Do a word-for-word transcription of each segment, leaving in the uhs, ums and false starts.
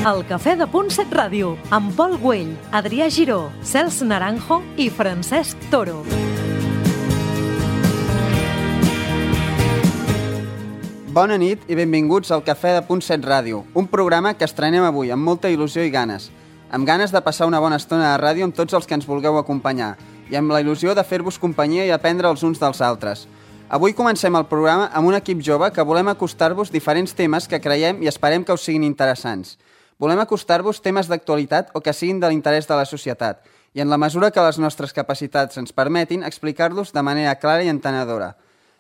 El Cafè de Punt set Ràdio, amb Pol Güell, Adrià Giró, Cels Naranjo i Francesc Toro. Bona nit i benvinguts al Cafè de Punt set Ràdio, un programa que estrenem avui amb molta il·lusió i ganes. Amb ganes de passar una bona estona de ràdio amb tots els que ens vulgueu acompanyar i amb la il·lusió de fer-vos companyia i aprendre els uns dels altres. Avui comencem el programa amb un equip jove que volem acostar-vos diferents temes que creiem i esperem que us siguin interessants. Volem acostar-vos temes d'actualitat o que siguin de l'interès de la societat i, en la mesura que les nostres capacitats ens permetin, explicar-los de manera clara i entenedora.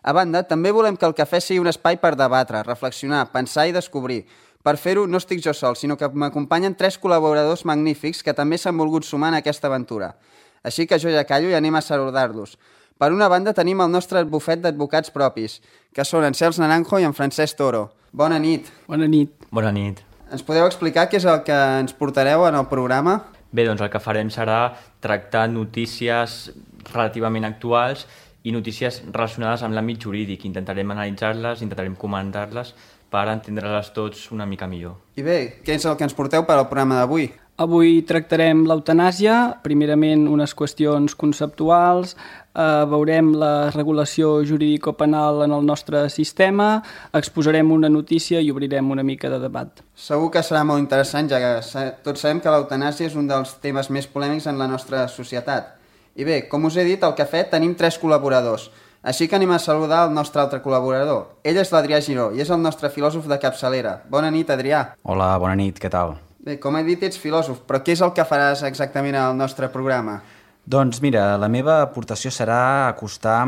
A banda, també volem que el cafè sigui un espai per debatre, reflexionar, pensar i descobrir. Per fer-ho no estic jo sol, sinó que m'acompanyen tres col·laboradors magnífics que també s'han volgut sumar en aquesta aventura. Així que jo ja callo i anem a saludar-los. Per una banda tenim el nostre bufet d'advocats propis, que són en Cels Naranjo i en Francesc Toro. Bona nit. Bona nit. Bona nit. Ens podeu explicar què és el que ens portareu en el programa? Bé, doncs el que farem serà tractar notícies relativament actuals i notícies relacionades amb l'àmbit jurídic. Intentarem analitzar-les, intentarem comentar-les per entendre-les tots una mica millor. I bé, què és el que ens porteu per al programa d'avui? Avui tractarem l'eutanàsia, primerament unes qüestions conceptuals, eh, veurem la regulació jurídico-penal en el nostre sistema, exposarem una notícia i obrirem una mica de debat. Segur que serà molt interessant, ja que tots sabem que l'eutanàsia és un dels temes més polèmics en la nostra societat. I bé, com us he dit, al cafè tenim tres col·laboradors, així que anem a saludar el nostre altre col·laborador. Ell és l'Adrià Giró i és el nostre filòsof de capçalera. Bona nit, Adrià. Hola, bona nit, què tal? Bé, com he dit, ets filòsof, però què és el que faràs exactament al nostre programa? Doncs mira, la meva aportació serà acostar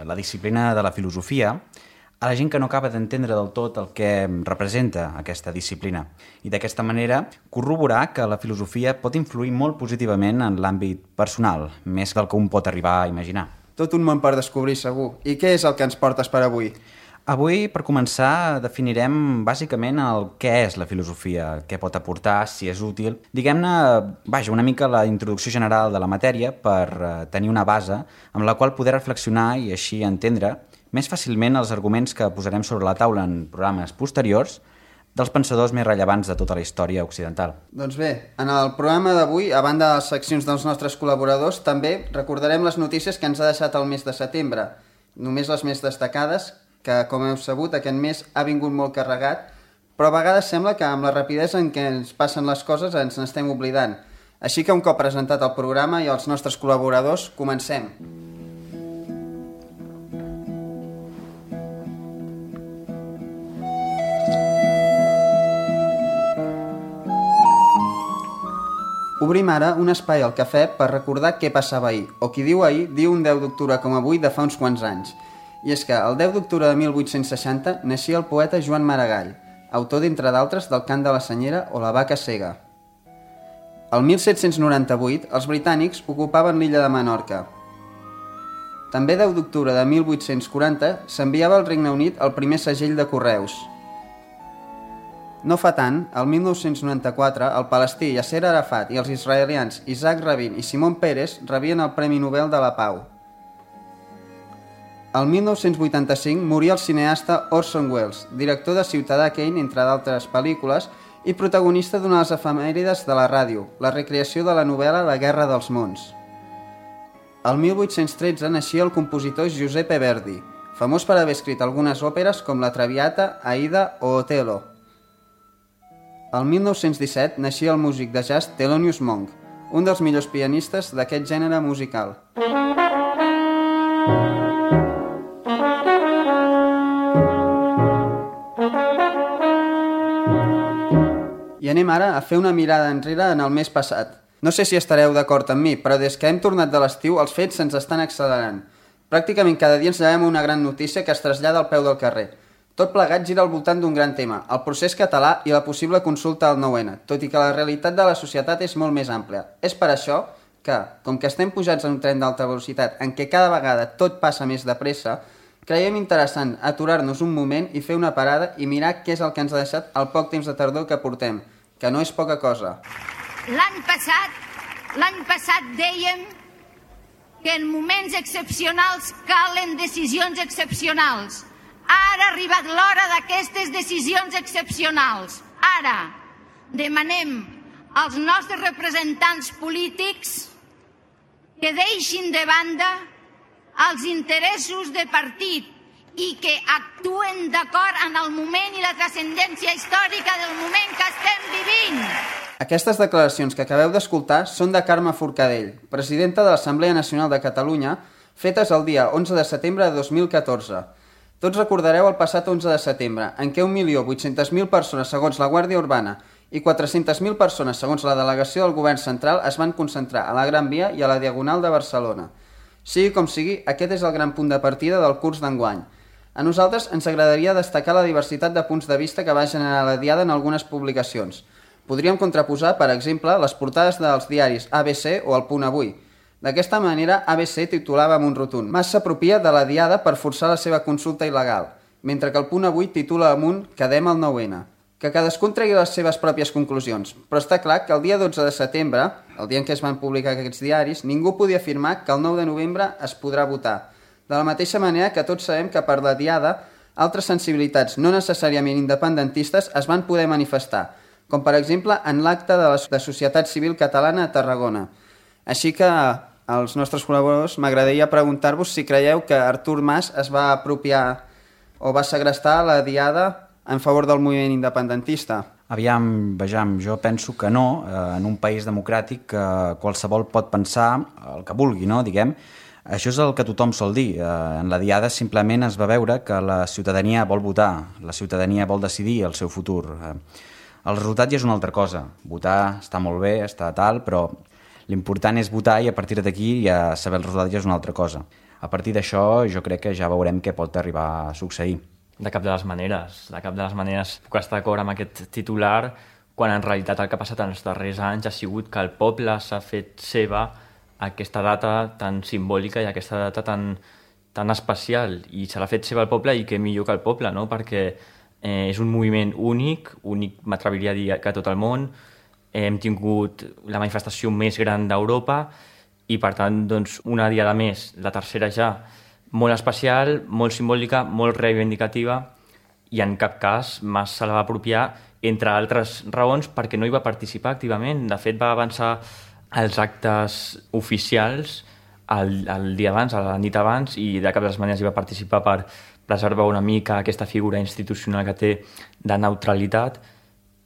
la disciplina de la filosofia a la gent que no acaba d'entendre del tot el que representa aquesta disciplina i d'aquesta manera corroborar que la filosofia pot influir molt positivament en l'àmbit personal, més del que un pot arribar a imaginar. Tot un món per descobrir, segur. I què és el que ens portes per avui? Avui, per començar, definirem bàsicament el què és la filosofia, què pot aportar, si és útil. Diguem-ne, vaja, una mica la introducció general de la matèria per tenir una base amb la qual poder reflexionar i així entendre més fàcilment els arguments que posarem sobre la taula en programes posteriors dels pensadors més rellevants de tota la història occidental. Doncs bé, en el programa d'avui, a banda de les seccions dels nostres col·laboradors, també recordarem les notícies que ens ha deixat el mes de setembre, només les més destacades, que, com heu sabut, aquest mes ha vingut molt carregat, però a vegades sembla que amb la rapidesa en què ens passen les coses ens n'estem oblidant. Així que un cop presentat el programa i els nostres col·laboradors, comencem. Obrim ara un espai al cafè per recordar què passava ahir, o qui diu ahir, diu un deu d'octubre com avui de fa uns quants anys. I és que el deu d'octubre de mil vuit-cents seixanta naixia el poeta Joan Maragall, autor d'entre d'altres del Cant de la Senyera o La vaca cega. El mil set-cents noranta-vuit els britànics ocupaven l'illa de Menorca. També deu d'octubre de mil vuit-cents quaranta s'enviava al Regne Unit el primer segell de correus. No fa tant, el mil nou-cents noranta-quatre, el palestí Yasser Arafat i els israelians Isaac Rabin i Simon Peres rebien el Premi Nobel de la Pau. El mil nou-cents vuitanta-cinc moria el cineasta Orson Welles, director de Ciutadà Kane, entre d'altres pel·lícules, i protagonista d'una de les efemèrides de la ràdio, la recreació de la novel·la La guerra dels mons. El mil vuit-cents tretze naixia el compositor Giuseppe Verdi, famós per haver escrit algunes òperes com La Traviata, Aida o Otello. El mil nou-cents disset naixia el músic de jazz Thelonious Monk, un dels millors pianistes d'aquest gènere musical. I anem ara a fer una mirada enrere en el mes passat. No sé si estareu d'acord amb mi, però des que hem tornat de l'estiu els fets se'ns estan accelerant. Pràcticament cada dia ens llevem una gran notícia que es trasllada al peu del carrer. Tot plegat gira al voltant d'un gran tema, el procés català i la possible consulta al nou ene, tot i que la realitat de la societat és molt més àmplia. És per això que, com que estem pujats en un tren d'alta velocitat en què cada vegada tot passa més de pressa, creiem interessant aturar-nos un moment i fer una parada i mirar què és el que ens ha deixat el poc temps de tardor que portem, que no és poca cosa. L'any passat, l'any passat dèiem que en moments excepcionals calen decisions excepcionals. Ara ha arribat l'hora d'aquestes decisions excepcionals. Ara, demanem als nostres representants polítics que deixin de banda els interessos de partit i que actuen d'acord en el moment i la transcendència històrica del moment que estem vivint. Aquestes declaracions que acabeu d'escoltar són de Carme Forcadell, presidenta de l'Assemblea Nacional de Catalunya, fetes el dia onze de setembre de dos mil catorze. Tots recordareu el passat onze de setembre, en què un milió vuit-centes mil persones segons la Guàrdia Urbana i quatre-centes mil persones segons la delegació del Govern Central es van concentrar a la Gran Via i a la Diagonal de Barcelona. Sigui com sigui, aquest és el gran punt de partida del curs d'enguany. A nosaltres ens agradaria destacar la diversitat de punts de vista que va generar la Diada en algunes publicacions. Podríem contraposar, per exemple, les portades dels diaris A B C o El Punt Avui. D'aquesta manera, A B C titulava amb un rotund «Mas s'apropia de la Diada per forçar la seva consulta il·legal», mentre que El Punt Avui titula amb un «Quedem al nou ene». Que cadascun tregui les seves pròpies conclusions, però està clar que el dia dotze de setembre, el dia en què es van publicar aquests diaris, ningú podia afirmar que el nou de novembre es podrà votar. De la mateixa manera que tots sabem que per la Diada altres sensibilitats no necessàriament independentistes es van poder manifestar, com per exemple en l'acte de la de Societat Civil Catalana a Tarragona. Així que als nostres col·laboradors m'agradaria preguntar-vos si creieu que Artur Mas es va apropiar o va segrestar la Diada en favor del moviment independentista. Aviam, vejam, jo penso que no. En un país democràtic qualsevol pot pensar el que vulgui, no? Diguem. Això és el que tothom sol dir. En la Diada simplement es va veure que la ciutadania vol votar, la ciutadania vol decidir el seu futur. El resultat ja és una altra cosa. Votar està molt bé, està tal, però l'important és votar i a partir d'aquí ja saber el resultat ja és una altra cosa. A partir d'això jo crec que ja veurem què pot arribar a succeir. De cap de les maneres. De cap de les maneres puc estar d'acord amb aquest titular quan en realitat el que ha passat en els darrers anys ha sigut que el poble s'ha fet seva aquesta data tan simbòlica i aquesta data tan, tan especial i se l'ha fet seva el poble i què millor que el poble, no? Perquè eh, és un moviment únic, únic m'atreviria a dir que a tot el món, eh, hem tingut la manifestació més gran d'Europa i per tant doncs, una diada més, la tercera ja, molt especial, molt simbòlica, molt reivindicativa i en cap cas Mas se la va apropiar, entre altres raons, perquè no hi va participar activament. De fet, va avançar els actes oficials el, el dia abans, a la nit abans, i de cap de les maneres hi va participar per preservar una mica aquesta figura institucional que té de neutralitat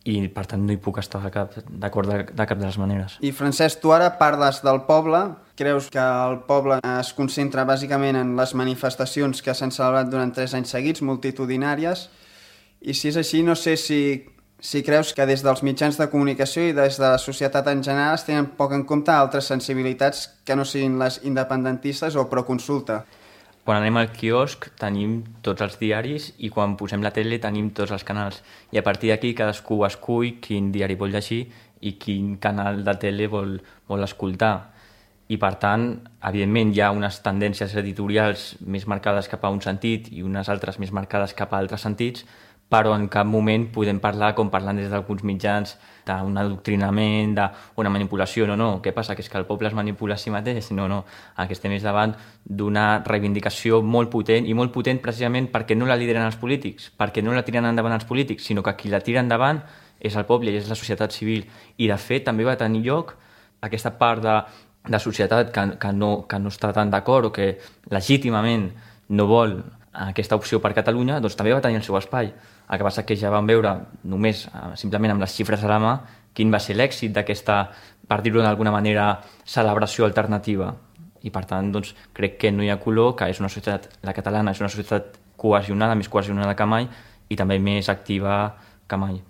i per tant no hi puc estar d'acord de, de cap de les maneres. I Francesc, tu ara parles del poble, creus que el poble es concentra bàsicament en les manifestacions que s'han celebrat durant tres anys seguits, multitudinàries, i si és així no sé si, si creus que des dels mitjans de comunicació i des de la societat en general es tenen poc en compte altres sensibilitats que no siguin les independentistes o proconsulta. Quan anem al quiosc tenim tots els diaris i quan posem la tele tenim tots els canals. I a partir d'aquí cadascú escull quin diari vol llegir i quin canal de tele vol, vol escoltar. I per tant, evidentment, hi ha unes tendències editorials més marcades cap a un sentit i unes altres més marcades cap a altres sentits, però en cap moment podem parlar, com parlant des d'alguns mitjans, d'un adoctrinament, d'una manipulació. No, no, què passa? Que és que el poble es manipula a si mateix? No, no, el que estem és davant d'una reivindicació molt potent, i molt potent precisament perquè no la lideren els polítics, perquè no la tiren endavant els polítics, sinó que qui la tira endavant és el poble i és la societat civil. I de fet també va tenir lloc aquesta part de, de societat que, que, no, que no està tan d'acord o que legítimament no vol aquesta opció per Catalunya, doncs també va tenir el seu espai. El que passa que ja vam veure només, simplement amb les xifres a la mà, quin va ser l'èxit d'aquesta, per dir-ho d'alguna manera, celebració alternativa. I per tant, doncs, crec que no hi ha color, que és una societat, la catalana és una societat cohesionada, més cohesionada que mai, i també més activa que mai.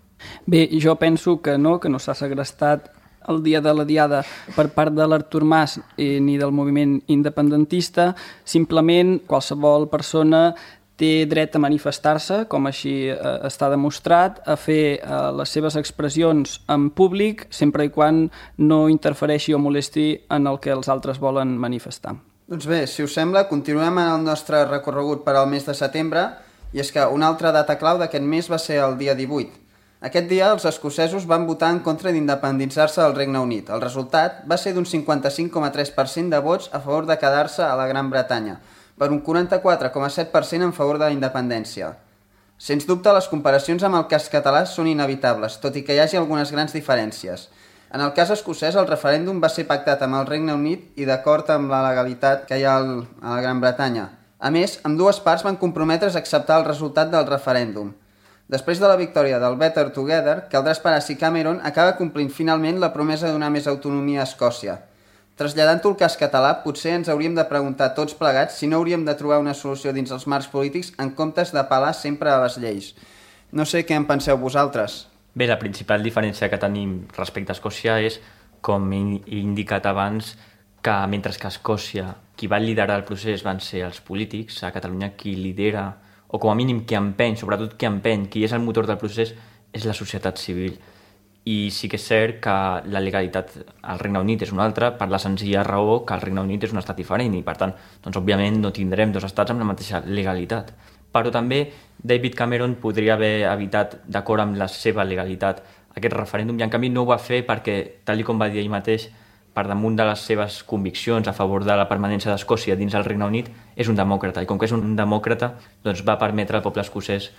Bé, jo penso que no, que no s'ha segrestat el dia de la Diada per part de l'Artur Mas eh, ni del moviment independentista. Simplement qualsevol persona té dret a manifestar-se, com així eh, està demostrat, a fer eh, les seves expressions en públic, sempre i quan no interfereixi o molesti en el que els altres volen manifestar. Doncs bé, si us sembla, continuem en el nostre recorregut per al mes de setembre, i és que una altra data clau d'aquest mes va ser el dia divuit. Aquest dia els escocesos van votar en contra d'independitzar-se del Regne Unit. El resultat va ser d'un cinquanta-cinc coma tres per cent de vots a favor de quedar-se a la Gran Bretanya, per un quaranta-quatre coma set per cent en favor de la independència. Sens dubte, les comparacions amb el cas català són inevitables, tot i que hi hagi algunes grans diferències. En el cas escocès, el referèndum va ser pactat amb el Regne Unit i d'acord amb la legalitat que hi ha a la Gran Bretanya. A més, ambdues parts van comprometre's a acceptar el resultat del referèndum. Després de la victòria del Better Together, caldrà esperar si Cameron acaba complint finalment la promesa de donar més autonomia a Escòcia. Traslladant-ho al cas català, potser ens hauríem de preguntar tots plegats si no hauríem de trobar una solució dins els marcs polítics en comptes d'apel·lar sempre a les lleis. No sé què en penseu vosaltres. Bé, la principal diferència que tenim respecte a Escòcia és, com he indicat abans, que mentre que a Escòcia qui va liderar el procés van ser els polítics, a Catalunya qui lidera, o com a mínim qui empeny, sobretot qui empeny, qui és el motor del procés, és la societat civil. I sí que és cert que la legalitat al Regne Unit és una altra per la senzilla raó que el Regne Unit és un estat diferent i, per tant, doncs, òbviament no tindrem dos estats amb la mateixa legalitat. Però també David Cameron podria haver evitat, d'acord amb la seva legalitat, aquest referèndum i en canvi no ho va fer perquè, tal com va dir ell mateix, per damunt de les seves conviccions a favor de la permanència d'Escòcia dins el Regne Unit, és un demòcrata. I com que és un demòcrata, doncs va permetre al poble escocès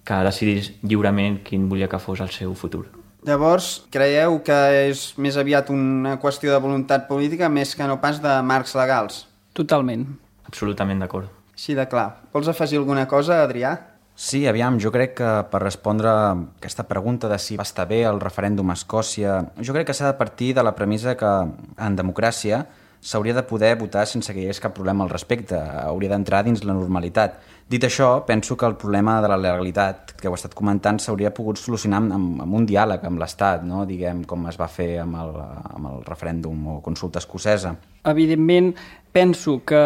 que decidís lliurement quin volia que fos el seu futur. Llavors, creieu que és més aviat una qüestió de voluntat política més que no pas de marcs legals? Totalment. Absolutament d'acord. Així de clar. Vols afegir alguna cosa, Adrià? Sí, aviam, jo crec que per respondre a aquesta pregunta de si va estar bé el referèndum a Escòcia, jo crec que s'ha de partir de la premissa que en democràcia s'hauria de poder votar sense que hi hagués cap problema al respecte, hauria d'entrar dins la normalitat. Dit això, penso que el problema de la legalitat que heu estat comentant s'hauria pogut solucionar amb, amb un diàleg amb l'Estat, no? Diguem com es va fer amb el, amb el referèndum o consulta escocesa. Evidentment, penso que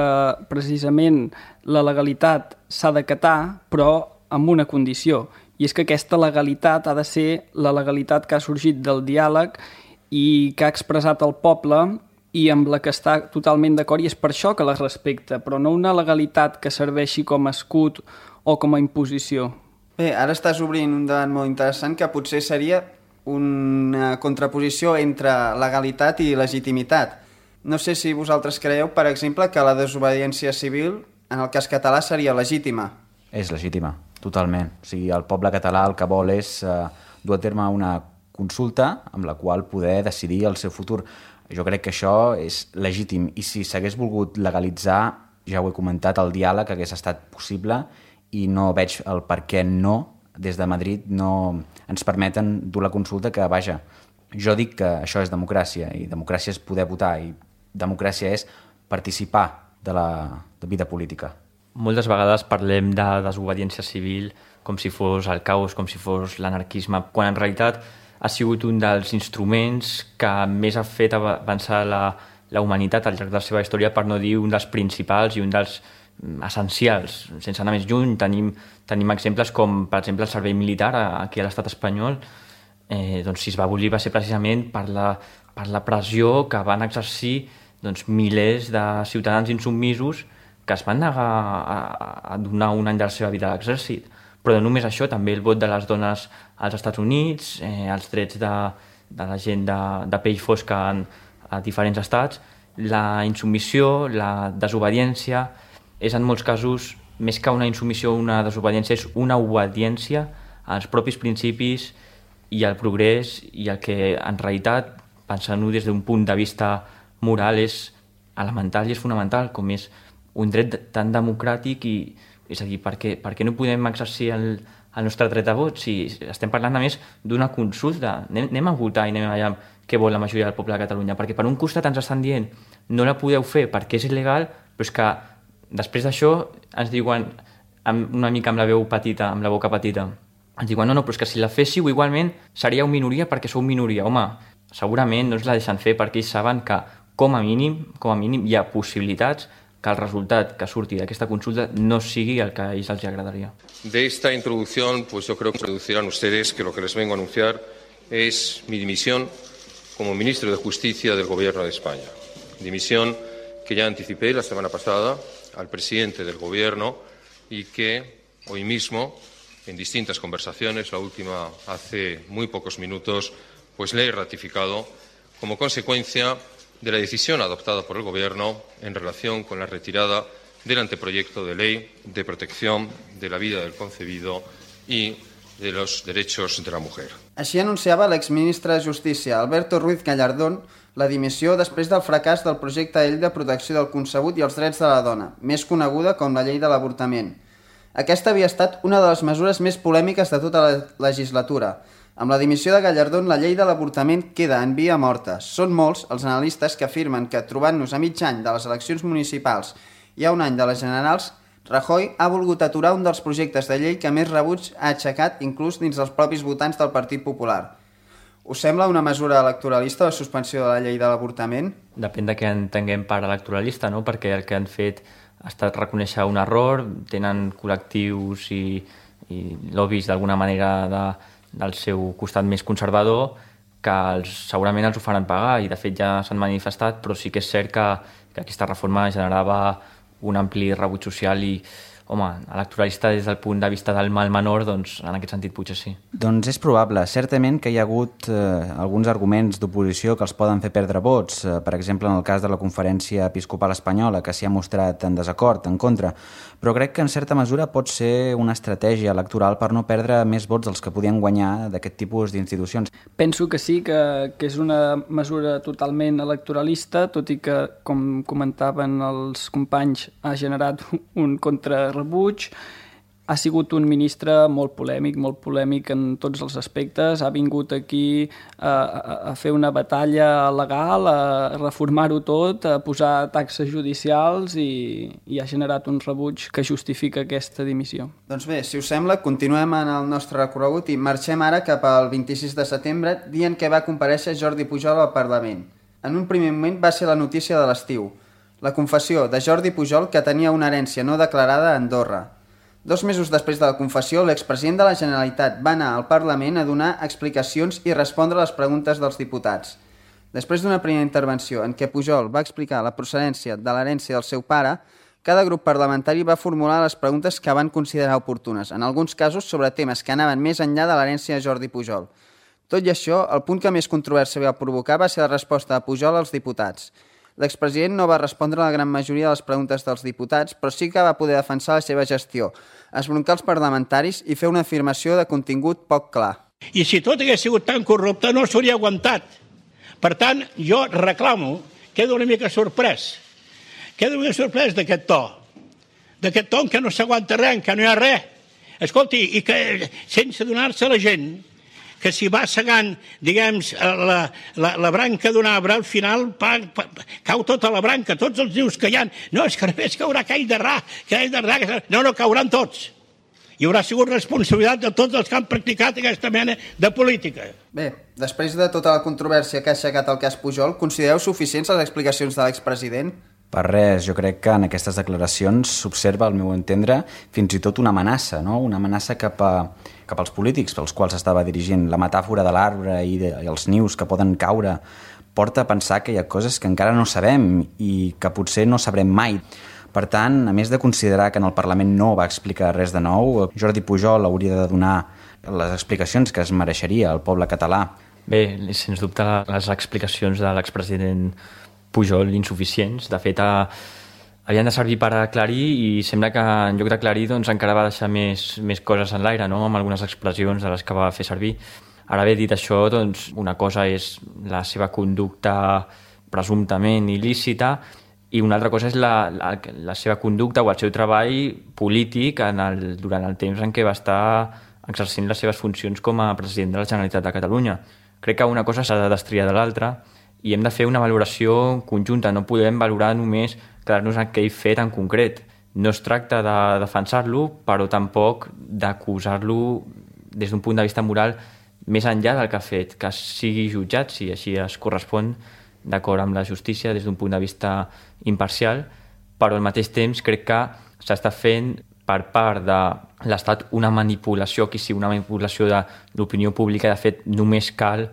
precisament la legalitat s'ha d'acatar, però amb una condició, i és que aquesta legalitat ha de ser la legalitat que ha sorgit del diàleg i que ha expressat el poble i amb la que està totalment d'acord, i és per això que la respecta, però no una legalitat que serveixi com a escut o com a imposició. Bé, ara estàs obrint un debat molt interessant que potser seria una contraposició entre legalitat i legitimitat. No sé si vosaltres creieu, per exemple, que la desobediència civil en el cas català seria legítima. És legítima, totalment. O sigui, el poble català el que vol és eh, dur a terme una consulta amb la qual poder decidir el seu futur. Jo crec que això és legítim i si s'hagués volgut legalitzar, ja ho he comentat, el diàleg hagués estat possible i no veig el per què no, des de Madrid, no ens permeten dur la consulta que, vaja, jo dic que això és democràcia i democràcia és poder votar i democràcia és participar de la de vida política. Moltes vegades parlem de desobediència civil com si fos el caos, com si fos l'anarquisme, quan en realitat ha sigut un dels instruments que més ha fet avançar la, la humanitat al llarg de la seva història, per no dir un dels principals i un dels essencials. Sense anar més lluny, tenim, tenim exemples com, per exemple, el servei militar aquí a l'estat espanyol. Eh, doncs, si es va abolir va ser precisament per la, per la pressió que van exercir doncs, milers de ciutadans insubmisos que es van negar a, a donar un any de la seva vida a l'exèrcit. Però no només això, també el vot de les dones als Estats Units, eh, els drets de, de la gent de, de pell fosca en, a diferents estats, la insubmissió, la desobediència, és en molts casos, més que una insubmissió o una desobediència, és una obediència als propis principis i al progrés i el que en realitat, pensant-ho des d'un punt de vista moral, és elemental i és fonamental, com és un dret tan democràtic i és a dir, per què, per què no podem exercir el, el nostre dret a vot si estem parlant a més d'una consulta? Anem, anem a votar i anem allà què vol la majoria del poble de Catalunya, perquè per un costat ens estan dient no la podeu fer perquè és il·legal, però és que després d'això ens diuen amb, una mica amb la veu petita, amb la boca petita, ens diuen no, no, però és que si la féssiu igualment seríeu minoria perquè sou minoria. Home, segurament no ens la deixen fer perquè ells saben que com a mínim, com a mínim hi ha possibilitats que el resultat que surti d'aquesta consulta no sigui el que a ells els agradaría. De esta introducción, pues yo creo que deducirán ustedes que lo que les vengo a anunciar es mi dimisión como ministro de Justicia del Gobierno de España. Dimisión que ya anticipé la semana pasada al presidente del Gobierno y que hoy mismo, en distintas conversaciones, la última hace muy pocos minutos, pues le he ratificado como consecuencia de la decisión adoptada por el Gobierno en relación con la retirada del anteproyecto de ley de protección de la vida del concebido y de los derechos de la mujer. Així anunciava l'exministre de Justícia, Alberto Ruiz Gallardón, la dimissió després del fracàs del projecte de llei de protecció del concebut i els drets de la dona, més coneguda com la llei de l'avortament. Aquesta havia estat una de les mesures més polèmiques de tota la legislatura. Amb la dimissió de Gallardón, la llei de l'avortament queda en via morta. Són molts els analistes que afirmen que, trobant-nos a mig any de les eleccions municipals i a un any de les generals, Rajoy ha volgut aturar un dels projectes de llei que més rebuig ha aixecat inclús dins dels propis votants del Partit Popular. Us sembla una mesura electoralista la suspensió de la llei de l'avortament? Depèn de què entenguem per electoralista, no? Perquè el que han fet ha estat reconèixer un error, tenen col·lectius i, i lobbies d'alguna manera de, del seu costat més conservador que els, segurament els ho faran pagar i de fet ja s'han manifestat, però sí que és cert que, que aquesta reforma generava un ampli rebuig social i, home, electoralista des del punt de vista del mal menor, doncs en aquest sentit potser sí. Doncs és probable. Certament que hi ha hagut eh, alguns arguments d'oposició que els poden fer perdre vots. Eh, per exemple, en el cas de la Conferència Episcopal Espanyola, que s'hi ha mostrat en desacord, en contra. Però crec que en certa mesura pot ser una estratègia electoral per no perdre més vots dels que podien guanyar d'aquest tipus d'institucions. Penso que sí, que, que és una mesura totalment electoralista, tot i que, com comentaven els companys, ha generat un contrarebuig. Ha sigut un ministre molt polèmic, molt polèmic en tots els aspectes. Ha vingut aquí a, a, a fer una batalla legal, a reformar-ho tot, a posar taxes judicials i, i ha generat un rebuig que justifica aquesta dimissió. Doncs bé, si us sembla, continuem en el nostre recorregut i marxem ara cap al vint-i-sis de setembre, dia en què va comparèixer Jordi Pujol al Parlament. En un primer moment va ser la notícia de l'estiu, la confessió de Jordi Pujol que tenia una herència no declarada a Andorra. Dos mesos després de la confessió, l'expresident de la Generalitat va anar al Parlament a donar explicacions i respondre a les preguntes dels diputats. Després d'una primera intervenció en què Pujol va explicar la procedència de l'herència del seu pare, cada grup parlamentari va formular les preguntes que van considerar oportunes, en alguns casos sobre temes que anaven més enllà de l'herència de Jordi Pujol. Tot i això, el punt que més controvèrsia va provocar va ser la resposta de Pujol als diputats. L'expresident no va respondre a la gran majoria de les preguntes dels diputats, però sí que va poder defensar la seva gestió, esbroncar els parlamentaris i fer una afirmació de contingut poc clar. I si tot hagués sigut tan corrupte no s'hauria aguantat. Per tant, jo reclamo, quedo una mica sorprès, quedo una mica sorprès d'aquest to, d'aquest to en què no s'aguanta res, en què no hi ha res. Escolti, i que sense donar-se a la gent que si va segant, diguem, la, la, la branca d'un arbre, al final pa, pa, cau tota la branca, tots els nius que hi ha. No, és que només caurà aquell de ra, aquell de ra, no, no, cauran tots. Hi haurà sigut responsabilitat de tots els que han practicat aquesta mena de política. Bé, després de tota la controvèrsia que ha aixecat el cas Pujol, considereu suficients les explicacions de l'expresident? Per res, jo crec que en aquestes declaracions s'observa, al meu entendre, fins i tot una amenaça, no? Una amenaça cap, a, cap als polítics pels quals estava dirigint. La metàfora de l'arbre i, de, i els nius que poden caure porta a pensar que hi ha coses que encara no sabem i que potser no sabrem mai. Per tant, a més de considerar que en el Parlament no va explicar res de nou, Jordi Pujol hauria de donar les explicacions que es mereixeria el poble català. Bé, sens dubte les explicacions de l'expresident Pujol insuficients. De fet, a, havien de servir per aclarir i sembla que en lloc d'aclarir doncs, encara va deixar més, més coses en l'aire, no? Amb algunes expressions de les que va fer servir. Ara bé, dit això, doncs, una cosa és la seva conducta presumptament il·lícita i una altra cosa és la, la, la seva conducta o el seu treball polític en el, durant el temps en què va estar exercint les seves funcions com a president de la Generalitat de Catalunya. Crec que una cosa s'ha de destriar de l'altra i hem de fer una valoració conjunta, no podem valorar només quedar-nos en aquell fet en concret. No es tracta de defensar-lo, però tampoc d'acusar-lo des d'un punt de vista moral més enllà del que ha fet, que sigui jutjat, si així es correspon, d'acord amb la justícia, des d'un punt de vista imparcial, però al mateix temps crec que s'està fent per part de l'Estat una manipulació, que sigui una manipulació de l'opinió pública. De fet, només cal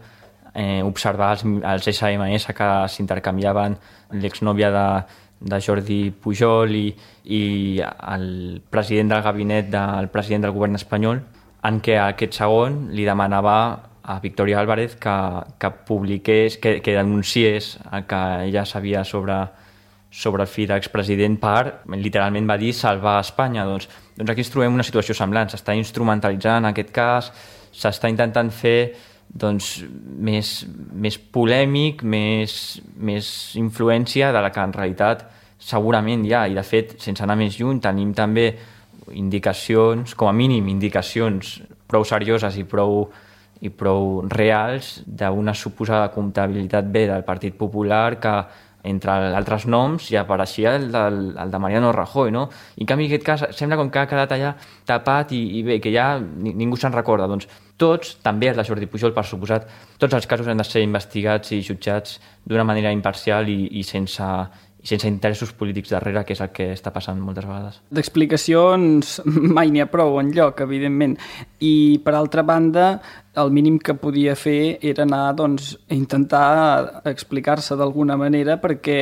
Eh, observar els, els esse eme esse que s'intercanviaven l'exnòvia de, de Jordi Pujol i, i el president del gabinet del president del govern espanyol, en què aquest segon li demanava a Victoria Álvarez que, que publiqués, que, que denunciés el que ella sabia sobre sobre el fill de l'expresident per, literalment va dir, salvar Espanya. Doncs, doncs aquí ens trobem una situació semblant. S'està instrumentalitzant aquest cas, s'està intentant fer doncs, més, més polèmic, més, més influència de la que en realitat segurament hi ha. I de fet, sense anar més lluny, tenim també indicacions, com a mínim indicacions prou serioses i prou, i prou reals d'una suposada comptabilitat B del Partit Popular que, entre altres noms, hi apareixia el, del, el de Mariano Rajoy, no? I en canvi aquest cas sembla com que ha quedat allà tapat i, i bé, que ja ningú se'n recorda. Doncs tots, també el de Jordi Pujol, per suposat, tots els casos han de ser investigats i jutjats d'una manera imparcial i, i sense... i sense interessos polítics darrere, que és el que està passant moltes vegades. D'explicacions mai n'hi ha prou enlloc, evidentment. I, per altra banda, el mínim que podia fer era anar doncs, a intentar explicar-se d'alguna manera perquè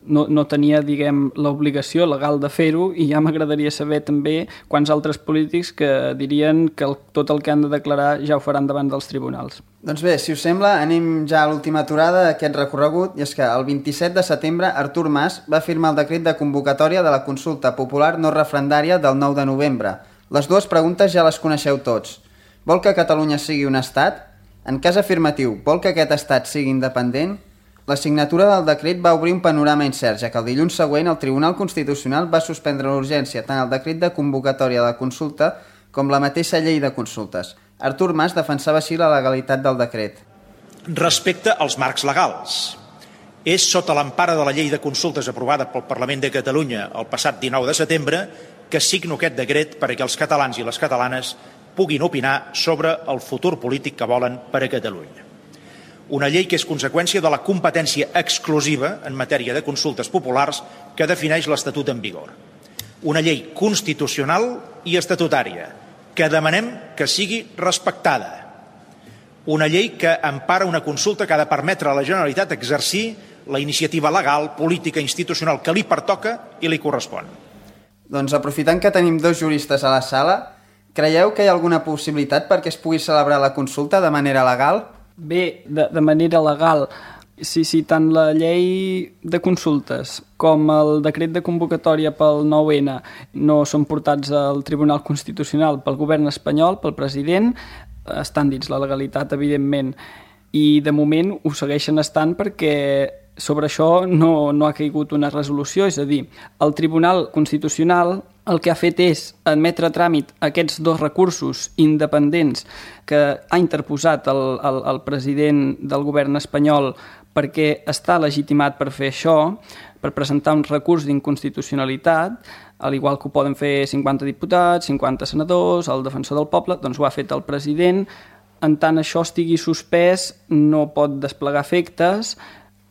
no, no tenia, diguem, l'obligació legal de fer-ho, i ja m'agradaria saber també quants altres polítics que dirien que el, tot el que han de declarar ja ho faran davant dels tribunals. Doncs bé, si us sembla, anem ja a l'última aturada d'aquest recorregut, i és que el vint-i-set de setembre Artur Mas va firmar el decret de convocatòria de la consulta popular no referendària del nou de novembre. Les dues preguntes ja les coneixeu tots. Vol que Catalunya sigui un estat? En cas afirmatiu, vol que aquest estat sigui independent? La signatura del decret va obrir un panorama incert, ja que el dilluns següent el Tribunal Constitucional va suspendre l'urgència tant el decret de convocatòria de la consulta com la mateixa llei de consultes. Artur Mas defensava així la legalitat del decret. Respecte als marcs legals, és sota l'empara de la llei de consultes aprovada pel Parlament de Catalunya el passat dinou de setembre que signo aquest decret perquè els catalans i les catalanes puguin opinar sobre el futur polític que volen per a Catalunya. Una llei que és conseqüència de la competència exclusiva en matèria de consultes populars que defineix l'Estatut en vigor. Una llei constitucional i estatutària que demanem que sigui respectada. Una llei que empara una consulta que ha de permetre a la Generalitat exercir la iniciativa legal, política i institucional que li pertoca i li correspon. Doncs aprofitant que tenim dos juristes a la sala, creieu que hi ha alguna possibilitat perquè es pugui celebrar la consulta de manera legal? Bé, de, de manera legal, si, si tant la llei de consultes com el decret de convocatòria pel nou ene no són portats al Tribunal Constitucional pel govern espanyol, pel president, estan dins la legalitat, evidentment, i de moment ho segueixen estant perquè sobre això no, no ha caigut una resolució, és a dir, el Tribunal Constitucional el que ha fet és admetre a tràmit aquests dos recursos independents que ha interposat el, el, el president del govern espanyol perquè està legitimat per fer això, per presentar un recurs d'inconstitucionalitat, al igual que ho poden fer cinquanta diputats, cinquanta senadors, el defensor del poble, doncs ho ha fet el president. En tant això estigui suspès, no pot desplegar efectes,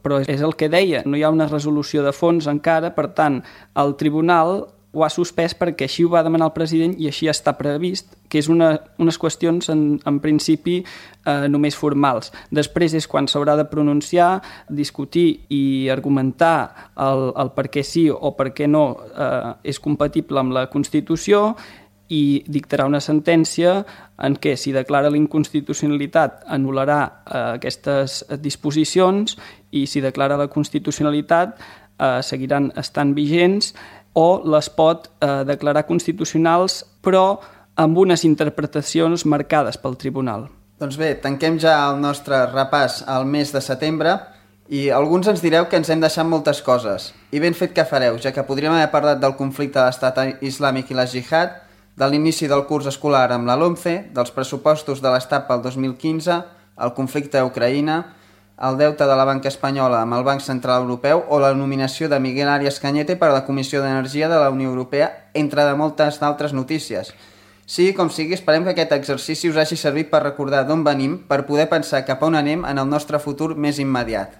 però és el que deia, no hi ha una resolució de fons encara, per tant, el tribunal ho ha suspès perquè així ho va demanar el president i així està previst, que és una, unes qüestions en, en principi eh, només formals. Després és quan s'haurà de pronunciar, discutir i argumentar el, el per què sí o per què no eh, és compatible amb la Constitució, i dictarà una sentència en què, si declara l'inconstitucionalitat, anul·larà eh, aquestes disposicions, i si declara la constitucionalitat eh, seguiran estant vigents, o les pot eh, declarar constitucionals, però amb unes interpretacions marcades pel tribunal. Doncs bé, tanquem ja el nostre repàs al mes de setembre i alguns ens direu que ens hem deixat moltes coses. I ben fet que fareu, ja que podríem haver parlat del conflicte de l'estat islàmic i la jihad, de l'inici del curs escolar amb la LOMCE, dels pressupostos de l'Estat pel dos mil quinze, el conflicte a Ucraïna, el deute de la banca espanyola amb el Banc Central Europeu o la nominació de Miguel Arias Cañete per a la Comissió d'Energia de la Unió Europea, entre de moltes d'altres notícies. Sigui com sigui, esperem que aquest exercici us hagi servit per recordar d'on venim, per poder pensar cap a on anem en el nostre futur més immediat.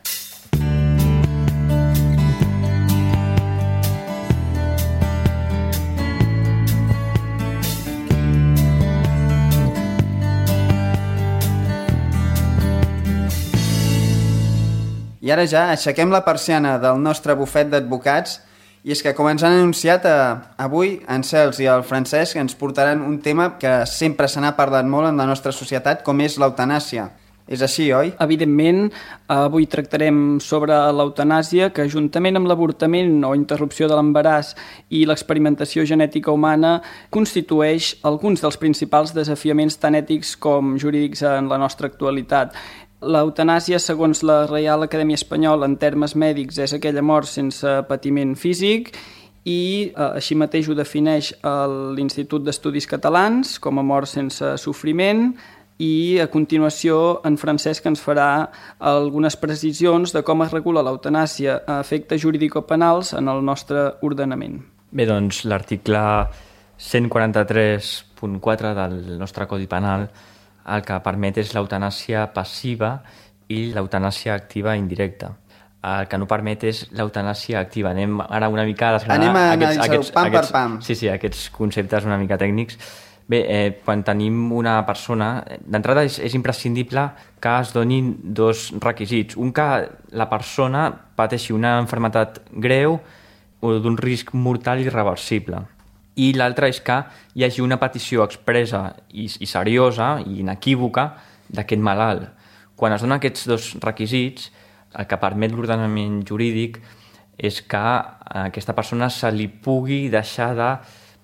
I ara ja aixequem la persiana del nostre bufet d'advocats i és que, com ens han anunciat, eh, avui en Cels i el Francesc ens portaran un tema que sempre se n'ha parlat molt en la nostra societat, com és l'eutanàsia. És així, oi? Evidentment, avui tractarem sobre l'eutanàsia, que juntament amb l'avortament o interrupció de l'embaràs i l'experimentació genètica humana constitueix alguns dels principals desafiaments tant ètics com jurídics en la nostra actualitat. L'eutanàsia, segons la Reial Acadèmia Espanyola, en termes mèdics, és aquella mort sense patiment físic i eh, així mateix ho defineix l'Institut d'Estudis Catalans com a mort sense sofriment. I a continuació en Francesc ens farà algunes precisions de com es regula l'eutanàsia a efectes jurídico-penals en el nostre ordenament. Bé, doncs l'article cent quaranta-tres punt quatre del nostre Codi Penal el que permet és l'eutanàsia passiva i l'eutanàsia activa indirecta. El que no permet és l'eutanàsia activa. Anem ara una mica a desgranar Anem a aquests, aquests, pam aquests, per pam. Sí, sí, aquests conceptes una mica tècnics. Bé, eh, quan tenim una persona, d'entrada és, és imprescindible que es donin dos requisits. Un, que la persona pateixi una malaltia greu o d'un risc mortal irreversible. I l'altre és que hi hagi una petició expressa i, i seriosa i inequívoca d'aquest malalt. Quan es donen aquests dos requisits, el que permet l'ordenament jurídic és que a aquesta persona se li pugui deixar de,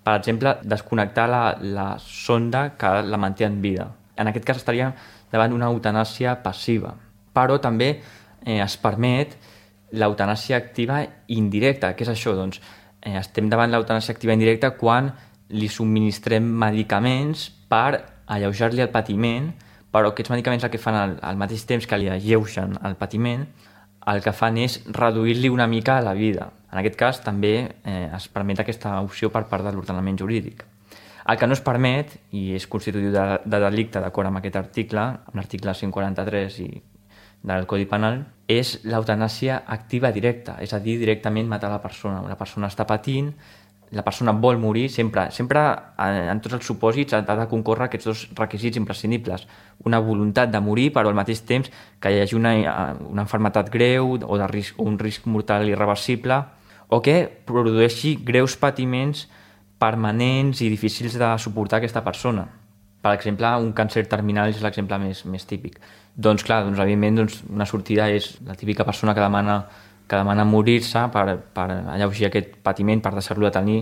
per exemple, desconnectar la, la sonda que la manté en vida. En aquest cas estaríem davant d'una eutanàsia passiva. Però també eh, es permet l'eutanàsia activa indirecta. Què és això? Doncs eh, estem davant l'eutanàsia activa indirecta quan li subministrem medicaments per alleujar-li el patiment, però aquests medicaments el que fan al, al mateix temps que li alleugen el patiment, el que fan és reduir-li una mica la vida. En aquest cas també eh, es permet aquesta opció per part de l'ordenament jurídic. El que no es permet, i és constitutiu de, de delicte d'acord amb aquest article, amb l'article cent quaranta-tres i del Codi Penal, és l'eutanàsia activa directa, és a dir, directament matar la persona. La persona està patint, la persona vol morir, sempre, sempre en tots els supòsits ha de concórrer aquests dos requisits imprescindibles. Una voluntat de morir, però al mateix temps que hi hagi una, una malaltia greu o, de risc, o un risc mortal irreversible, o que produeixi greus patiments permanents i difícils de suportar aquesta persona. Per exemple, un càncer terminal és l'exemple més, més típic. Doncs clar, doncs, evidentment doncs, una sortida és la típica persona que demana que demana morir-se per, per alleujar aquest patiment, per deixar-lo de tenir.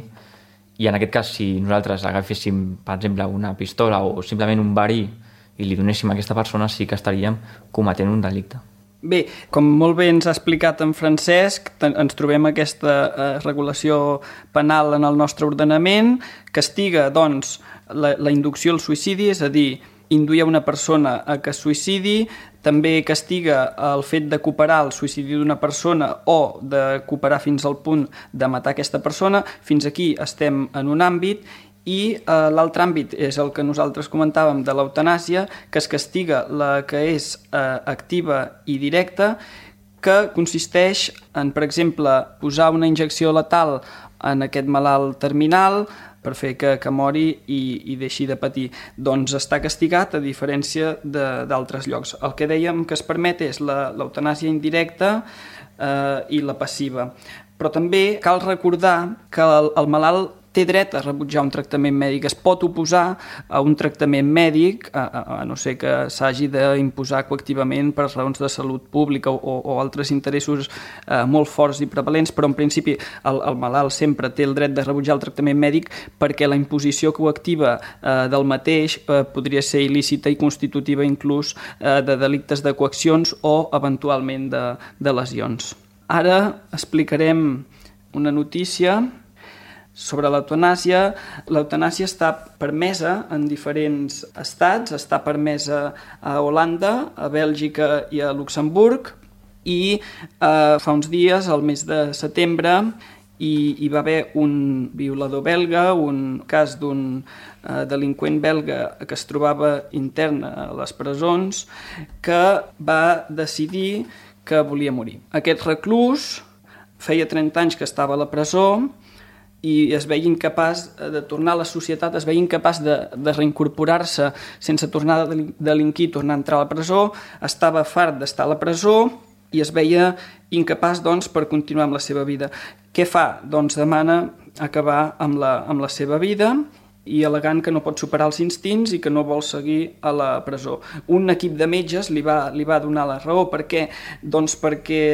I en aquest cas, si nosaltres agaféssim, per exemple, una pistola o simplement un verí i li donéssim a aquesta persona, sí que estaríem cometent un delicte. Bé, com molt bé ens ha explicat en Francesc, ens trobem aquesta eh, regulació penal en el nostre ordenament, castiga, doncs, la, la inducció al suïcidi, és a dir, induir a una persona a que es suïcidi, també castiga el fet de cooperar el suïcidi d'una persona o de cooperar fins al punt de matar aquesta persona. Fins aquí estem en un àmbit i eh, l'altre àmbit és el que nosaltres comentàvem de l'eutanàsia, que es castiga la que és eh, activa i directa, que consisteix en, per exemple, posar una injecció letal en aquest malalt terminal per fer que, que mori i, i deixi de patir. Doncs està castigat a diferència d'altres llocs. El que dèiem que es permet és l'eutanàsia indirecta eh, i la passiva. Però també cal recordar que el, el malalt té dret a rebutjar un tractament mèdic, es pot oposar a un tractament mèdic, a, a, a no ser que s'hagi d'imposar coactivament per raons de salut pública o, o altres interessos eh, molt forts i prevalents, però en principi el, el malalt sempre té el dret de rebutjar el tractament mèdic perquè la imposició coactiva eh, del mateix eh, podria ser il·lícita i constitutiva inclús eh, de delictes de coaccions o eventualment de, de lesions. Ara explicarem una notícia sobre l'eutanàsia. L'eutanàsia està permesa en diferents estats, està permesa a Holanda, a Bèlgica i a Luxemburg, i eh, fa uns dies, al mes de setembre, hi, hi va haver un violador belga, un cas d'un eh, delinqüent belga que es trobava intern a les presons, que va decidir que volia morir. Aquest reclús feia trenta anys que estava a la presó i es veia incapaç de tornar a la societat, es veia incapaç de, de reincorporar-se sense tornar a delinquir, tornar a entrar a la presó, estava fart d'estar a la presó i es veia incapaç, doncs, per continuar amb la seva vida. Què fa? Doncs demana acabar amb la, amb la seva vida i al·legant que no pot superar els instints i que no vol seguir a la presó. Un equip de metges li va, li va donar la raó. Per què? Doncs perquè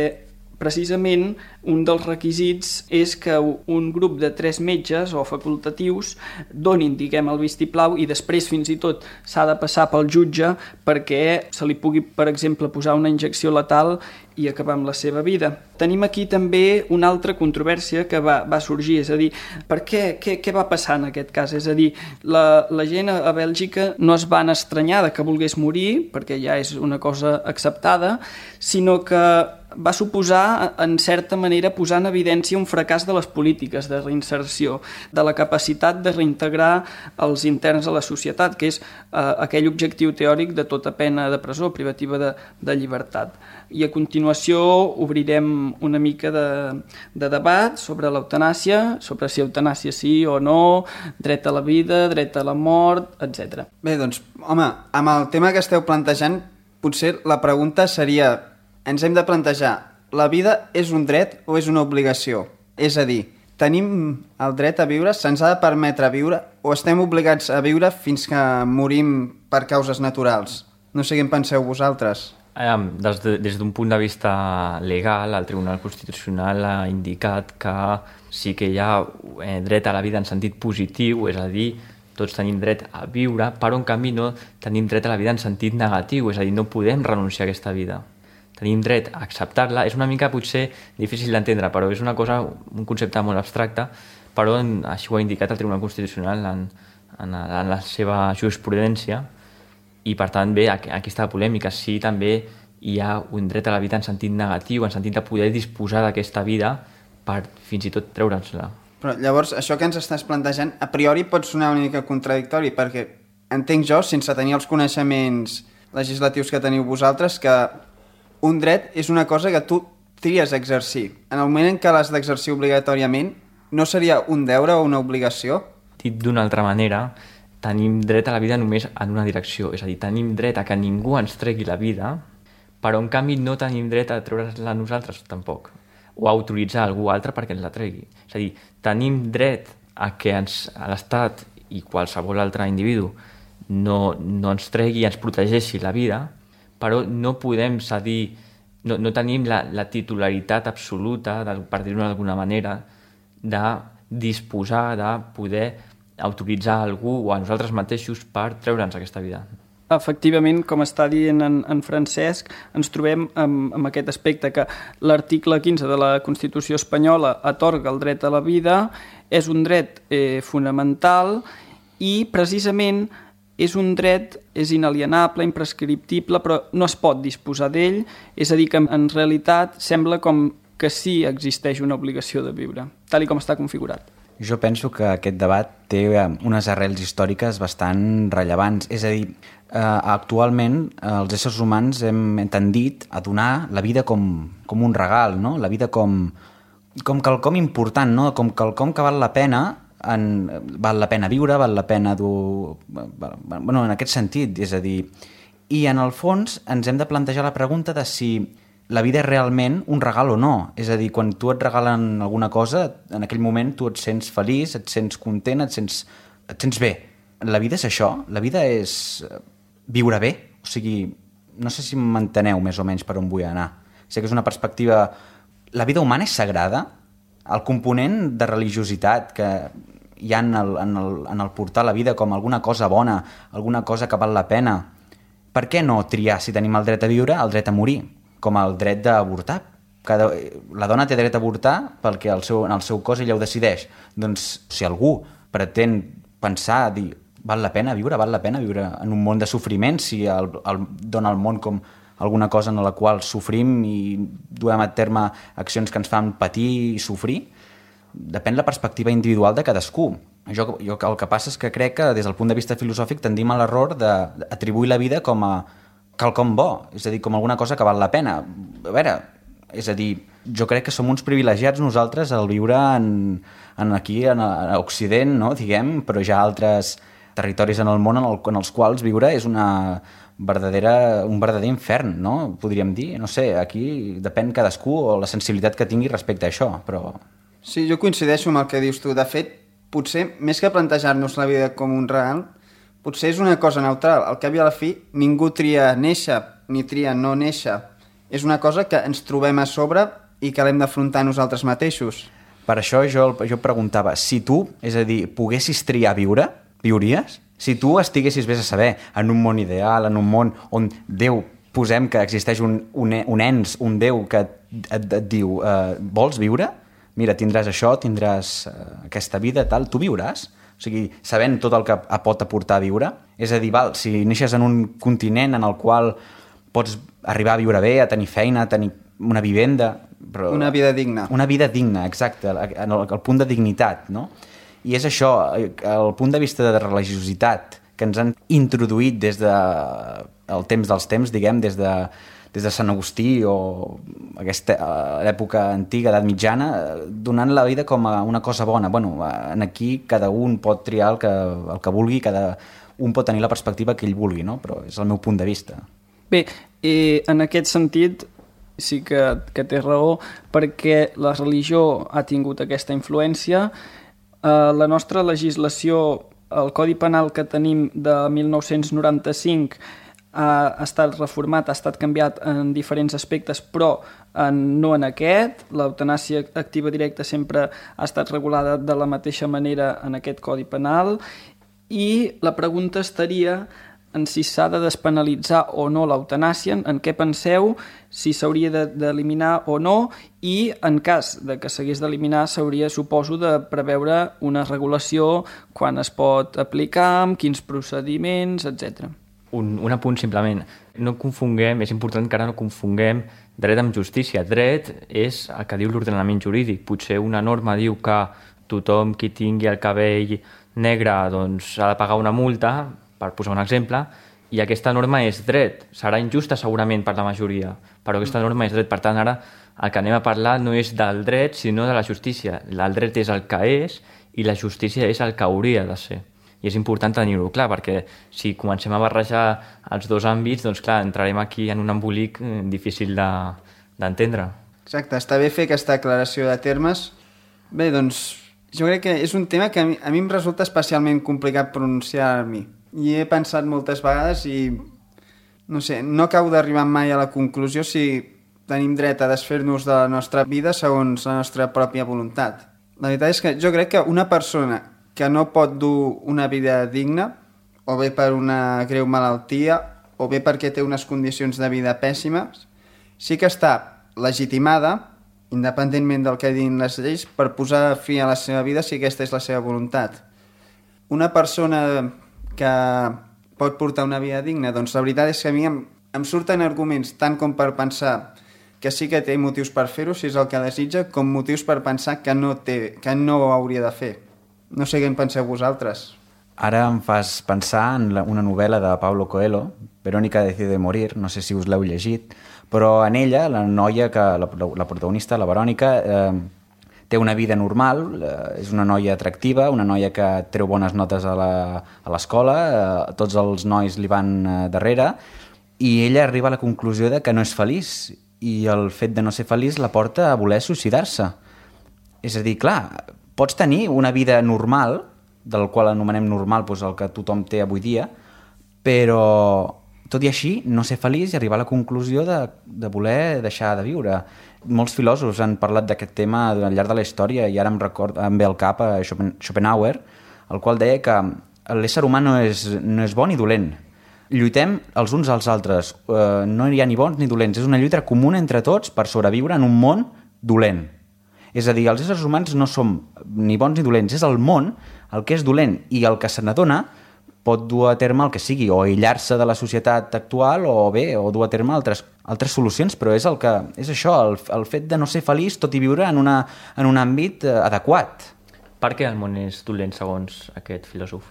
precisament un dels requisits és que un grup de tres metges o facultatius donin, diguem, el vistiplau i després fins i tot s'ha de passar pel jutge perquè se li pugui, per exemple, posar una injecció letal i acabar amb la seva vida. Tenim aquí també una altra controvèrsia que va, va sorgir, és a dir, per què, què, què va passar en aquest cas? És a dir, la, la gent a Bèlgica no es van estranyar de que volgués morir, perquè ja és una cosa acceptada, sinó que va suposar, en certa manera, posar en evidència un fracàs de les polítiques de reinserció, de la capacitat de reintegrar els interns a la societat, que és eh, aquell objectiu teòric de tota pena de presó, privativa de, de llibertat. I a continuació obrirem una mica de, de debat sobre l'eutanàsia, sobre si eutanàsia sí o no, dret a la vida, dret a la mort, etcètera. Bé, doncs, home, amb el tema que esteu plantejant, potser la pregunta seria, ens hem de plantejar, la vida és un dret o és una obligació? És a dir, tenim el dret a viure, se'ns ha de permetre viure o estem obligats a viure fins que morim per causes naturals? No sé què en penseu vosaltres. Des, de, des d'un punt de vista legal, el Tribunal Constitucional ha indicat que sí que hi ha dret a la vida en sentit positiu, és a dir, tots tenim dret a viure, però en canvi no tenim dret a la vida en sentit negatiu, és a dir, no podem renunciar a aquesta vida. Tenim dret a acceptar-la. És una mica potser difícil d'entendre, però és una cosa, un concepte molt abstracte, però així ho ha indicat el Tribunal Constitucional en, en, en la seva jurisprudència. I, per tant, bé, aquesta polèmica, sí, també hi ha un dret a la vida en sentit negatiu, en sentit de poder disposar d'aquesta vida per fins i tot treure'ns-la. Però llavors, això que ens estàs plantejant, a priori pot sonar una mica contradictori, perquè entenc jo, sense tenir els coneixements legislatius que teniu vosaltres, que un dret és una cosa que tu tries a exercir. En el moment en què l'has d'exercir obligatòriament, no seria un deure o una obligació? Dit d'una altra manera, tenim dret a la vida només en una direcció, és a dir, tenim dret a que ningú ens tregui la vida, però en canvi no tenim dret a treure's-la nosaltres tampoc, o a autoritzar algú altre perquè ens la tregui. És a dir, tenim dret a que ens, a l'Estat i qualsevol altre individu no, no ens tregui i ens protegeixi la vida, però no podem cedir, no, no tenim la, la titularitat absoluta, de, per dir-ho d'alguna manera, de disposar de poder autoritzar algú o a nosaltres mateixos per treure'ns aquesta vida. Efectivament, com està dient en, en Francesc, ens trobem amb, amb aquest aspecte que l'article quinze de la Constitució espanyola atorga el dret a la vida, és un dret eh, fonamental i precisament és un dret, és inalienable, imprescriptible, però no es pot disposar d'ell, és a dir, que en realitat sembla com que sí existeix una obligació de viure, tal i com està configurat. Jo penso que aquest debat té unes arrels històriques bastant rellevants. És a dir, eh, actualment els éssers humans hem tendit a donar la vida com, com un regal, no? La vida com, com quelcom important, no? Com quelcom que val la pena, en, val la pena viure, val la pena dur... Bueno, en aquest sentit, és a dir... I en el fons ens hem de plantejar la pregunta de si la vida és realment un regal o no. És a dir, quan tu et regalen alguna cosa, en aquell moment tu et sents feliç, et sents content, et sents, et sents bé. La vida és això, la vida és viure bé. O sigui, no sé si m'enteneu més o menys per on vull anar. Sé que és una perspectiva... La vida humana és sagrada. El component de religiositat que hi ha en el, en el, en el portar la vida com alguna cosa bona, alguna cosa que val la pena. Per què no triar, si tenim el dret a viure, el dret a morir? Com el dret d'avortar. Cada, la dona té dret a avortar perquè el seu, en el seu cos ella ho decideix. Doncs si algú pretén pensar, dir, val la pena viure, val la pena viure en un món de sofriment, si el, el dona al món com alguna cosa en la qual sofrim i duem a terme accions que ens fan patir i sofrir, depèn la perspectiva individual de cadascú. Jo, jo el que passa és que crec que des del punt de vista filosòfic tendim a l'error d'atribuir la vida com a quelcom bo, és a dir, com alguna cosa que val la pena. A veure, és a dir, jo crec que som uns privilegiats nosaltres al viure en, en aquí, en, a Occident, no? Diguem, però hi ha altres territoris en el món en, el, en els quals viure és una verdadera, un verdader infern, no? Podríem dir, no sé, aquí depèn cadascú o la sensibilitat que tingui respecte a això, però... Sí, jo coincideixo amb el que dius tu. De fet, potser, més que plantejar-nos la vida com un real, potser és una cosa neutral. Al cap i a la fi, ningú tria néixer ni tria no néixer. És una cosa que ens trobem a sobre i que l'hem d'afrontar nosaltres mateixos. Per això jo, jo preguntava, si tu, és a dir, poguessis triar viure, viuries? Si tu estiguessis, vés a saber, en un món ideal, en un món on Déu, posem que existeix un, un, un ens, un Déu que et, et, et diu, eh, vols viure? Mira, tindràs això, tindràs eh, aquesta vida, tal, tu viuràs? O sigui, sabent tot el que pot aportar a viure. És a dir, val, si neixes en un continent en el qual pots arribar a viure bé, a tenir feina, a tenir una vivenda... Però una vida digna. Una vida digna, exacte, en el, el punt de dignitat, no? I és això, el punt de vista de religiositat que ens han introduït des de el temps dels temps, diguem, des de, des de Sant Agustí o aquesta època antiga, edat mitjana, donant la vida com a una cosa bona. Bueno, en aquí cada un pot triar el que, el que vulgui, cada un pot tenir la perspectiva que ell vulgui, no? Però és el meu punt de vista. Bé, eh, en aquest sentit sí que, que té raó, perquè la religió ha tingut aquesta influència. Eh, la nostra legislació, el Codi Penal que tenim de mil nou-cents noranta-cinc, ha estat reformat, ha estat canviat en diferents aspectes, però en, no en aquest. L'eutanàsia activa directa sempre ha estat regulada de la mateixa manera en aquest Codi Penal, i la pregunta estaria en si s'ha de despenalitzar o no l'eutanàsia, en què penseu, si s'hauria d'eliminar o no, i en cas de que s'hagués d'eliminar s'hauria, suposo, de preveure una regulació quan es pot aplicar, amb quins procediments, etcètera. Un, un apunt simplement. No confonguem, és important que ara no confonguem dret amb justícia. Dret és el que diu l'ordenament jurídic. Potser una norma diu que tothom qui tingui el cabell negre doncs, ha de pagar una multa, per posar un exemple, i aquesta norma és dret. Serà injusta segurament per la majoria, però aquesta norma és dret. Per tant, ara el que anem a parlar no és del dret, sinó de la justícia. El dret és el que és i la justícia és el que hauria de ser. I és important tenir-ho clar, perquè si comencem a barrejar els dos àmbits, doncs clar, entrarem aquí en un embolic difícil d'entendre. De, Exacte, està bé fer aquesta aclaració de termes. Bé, doncs, jo crec que és un tema que a mi, a mi em resulta especialment complicat pronunciar a mi. I he pensat moltes vegades i no sé, no acabo d'arribar mai a la conclusió si tenim dret a desfer-nos de la nostra vida segons la nostra pròpia voluntat. La veritat és que jo crec que una persona que no pot dur una vida digna, o bé per una greu malaltia, o bé perquè té unes condicions de vida pèssimes, sí que està legitimada, independentment del que diguin les lleis, per posar fi a la seva vida si aquesta és la seva voluntat. Una persona que pot portar una vida digna, doncs la veritat és que a mi em, em surten arguments tant com per pensar que sí que té motius per fer-ho, si és el que desitja, com motius per pensar que no, té, que no ho hauria de fer. No sé què en penseu vosaltres. Ara em fas pensar en la, una novel·la de Paulo Coelho, Verónica decide morir, no sé si us l'heu llegit, però en ella, la noia, que la, la protagonista, la Verònica, eh, té una vida normal, eh, és una noia atractiva, una noia que treu bones notes a l'escola, eh, tots els nois li van eh, darrere, i ella arriba a la conclusió de que no és feliç, i el fet de no ser feliç la porta a voler suïcidar-se. És a dir, clar, pots tenir una vida normal, del qual anomenem normal doncs el que tothom té avui dia, però tot i així no ser feliç i arribar a la conclusió de, de voler deixar de viure. Molts filòsofs han parlat d'aquest tema al llarg de la història i ara em, record, em ve al cap a Schopenhauer, el qual deia que l'ésser humà no és, no és bon ni dolent. Lluitem els uns als altres, eh, no hi ha ni bons ni dolents, és una lluita comuna entre tots per sobreviure en un món dolent. És a dir, els éssers humans no som ni bons ni dolents, és el món el que és dolent i el que se n'adona pot dur a terme el que sigui, o aïllar-se de la societat actual o bé, o dur a terme altres, altres solucions, però és, el que, és això, el, el fet de no ser feliç tot i viure en, una, en un àmbit eh, adequat. Per què el món és dolent, segons aquest filòsof?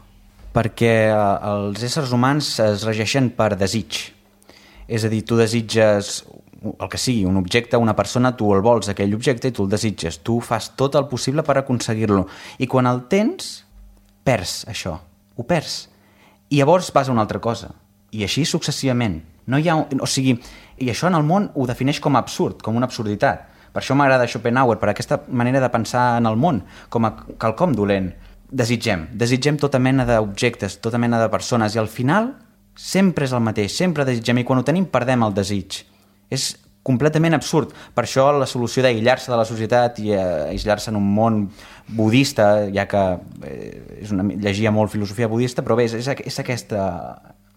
Perquè eh, els éssers humans es regeixen per desig. És a dir, tu desitges el que sigui, un objecte, una persona, tu el vols, aquell objecte, i tu el desitges. Tu fas tot el possible per aconseguir-lo. I quan el tens, perds això, ho perds. I llavors vas a una altra cosa. I així successivament. No hi ha, o sigui, i això en el món ho defineix com a absurd, com una absurditat. Per això m'agrada Schopenhauer, per aquesta manera de pensar en el món, com a quelcom dolent. desitgem, desitgem tota mena d'objectes, tota mena de persones, i al final sempre és el mateix, sempre desitgem, i quan ho tenim perdem el desig. És completament absurd. Per això la solució d'aïllar-se de la societat i aïllar-se en un món budista, ja que eh, és una, llegia molt filosofia budista, però bé, és, és aquesta...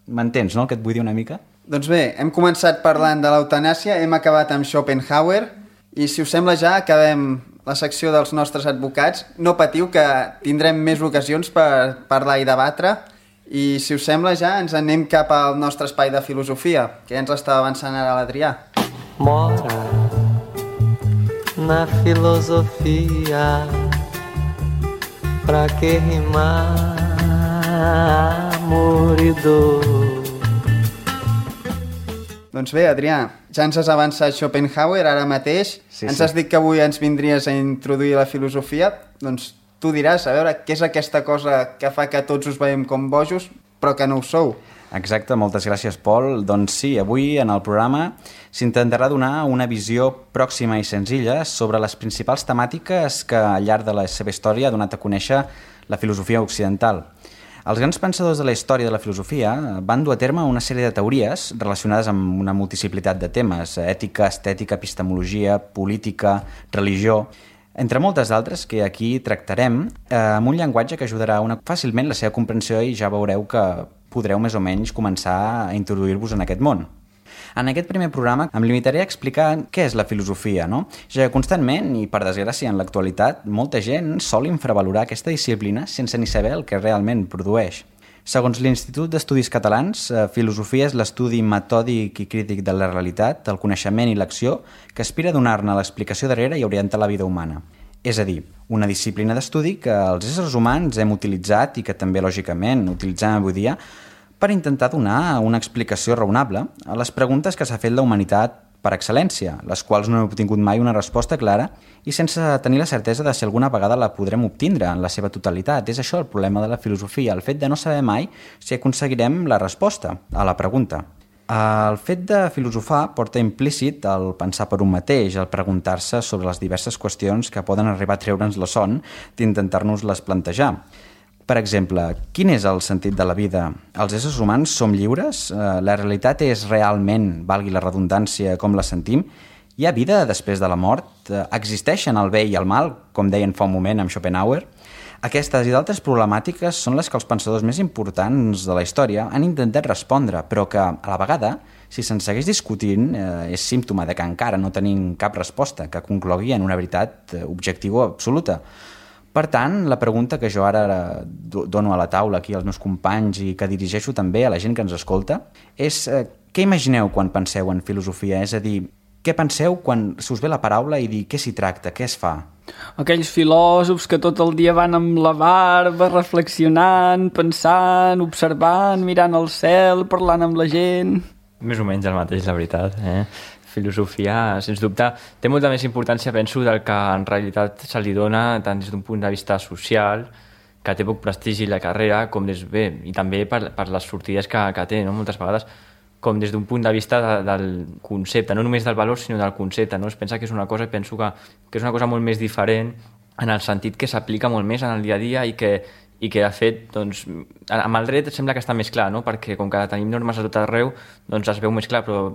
M'entens, no?, el que et vull dir una mica? Doncs bé, hem començat parlant de l'eutanàsia, hem acabat amb Schopenhauer, i si us sembla ja acabem la secció dels nostres advocats. No patiu, que tindrem més ocasions per parlar i debatre, i si us sembla ja ens anem cap al nostre espai de filosofia, que ja ens està avançant ara l'Adrià. Mora na filosofia, pra que rimar amor i dor. Doncs bé, Adrià, ja ens has avançat Schopenhauer ara mateix, sí, ens sí. has dit que avui ens vindries a introduir la filosofia, doncs tu diràs, a veure, què és aquesta cosa que fa que tots us veiem com bojos, però que no ho sou? Exacte, moltes gràcies, Pol. Doncs sí, avui en el programa s'intentarà donar una visió pròxima i senzilla sobre les principals temàtiques que al llarg de la seva història ha donat a conèixer la filosofia occidental. Els grans pensadors de la història de la filosofia van dur a terme una sèrie de teories relacionades amb una multiplicitat de temes: ètica, estètica, epistemologia, política, religió, entre moltes d'altres que aquí tractarem eh, amb un llenguatge que ajudarà una, fàcilment la seva comprensió, i ja veureu que podreu més o menys començar a introduir-vos en aquest món. En aquest primer programa em limitaré a explicar què és la filosofia, no? Ja que constantment, i per desgràcia en l'actualitat, molta gent sol infravalorar aquesta disciplina sense ni saber el que realment produeix. Segons l'Institut d'Estudis Catalans, filosofia és l'estudi metòdic i crític de la realitat, el coneixement i l'acció, que aspira a donar-ne l'explicació darrere i orientar la vida humana. És a dir, una disciplina d'estudi que els éssers humans hem utilitzat i que també, lògicament, utilitzem avui dia per intentar donar una explicació raonable a les preguntes que s'ha fet la humanitat per excel·lència, les quals no hem obtingut mai una resposta clara i sense tenir la certesa de si alguna vegada la podrem obtindre en la seva totalitat. És això el problema de la filosofia, el fet de no saber mai si aconseguirem la resposta a la pregunta. El fet de filosofar porta implícit el pensar per un mateix, el preguntar-se sobre les diverses qüestions que poden arribar a treure'ns la son d'intentar-nos-les plantejar. Per exemple, quin és el sentit de la vida? Els éssers humans som lliures? La realitat és realment, valgui la redundància, com la sentim? Hi ha vida després de la mort? Existeixen el bé i el mal, com deien fa un moment amb Schopenhauer? Aquestes i d'altres problemàtiques són les que els pensadors més importants de la història han intentat respondre, però que, a la vegada, si se'n segueix discutint, eh, és símptoma de que encara no tenim cap resposta que conclogui en una veritat objectiva absoluta. Per tant, la pregunta que jo ara dono a la taula aquí als meus companys i que dirigeixo també a la gent que ens escolta és eh, què imagineu quan penseu en filosofia? És a dir, què penseu quan se us ve la paraula i dir què s'hi tracta, què es fa? Aquells filòsofs que tot el dia van amb la barba, reflexionant, pensant, observant, mirant el cel, parlant amb la gent... Més o menys el mateix, la veritat, eh? Filosofia, sens dubte, té molta més importància, penso, del que en realitat se li dona tant des d'un punt de vista social, que té poc prestigi la carrera, com des, bé, i també per, per les sortides que, que té, no? Moltes vegades, com des d'un punt de vista de, del concepte, no només del valor, sinó del concepte, no? Es pensa que és una cosa, i penso que, que és una cosa molt més diferent en el sentit que s'aplica molt més en el dia a dia i que, i que de fet, doncs, amb el dret sembla que està més clar, no? Perquè com que tenim normes a tot arreu, doncs es veu més clar, però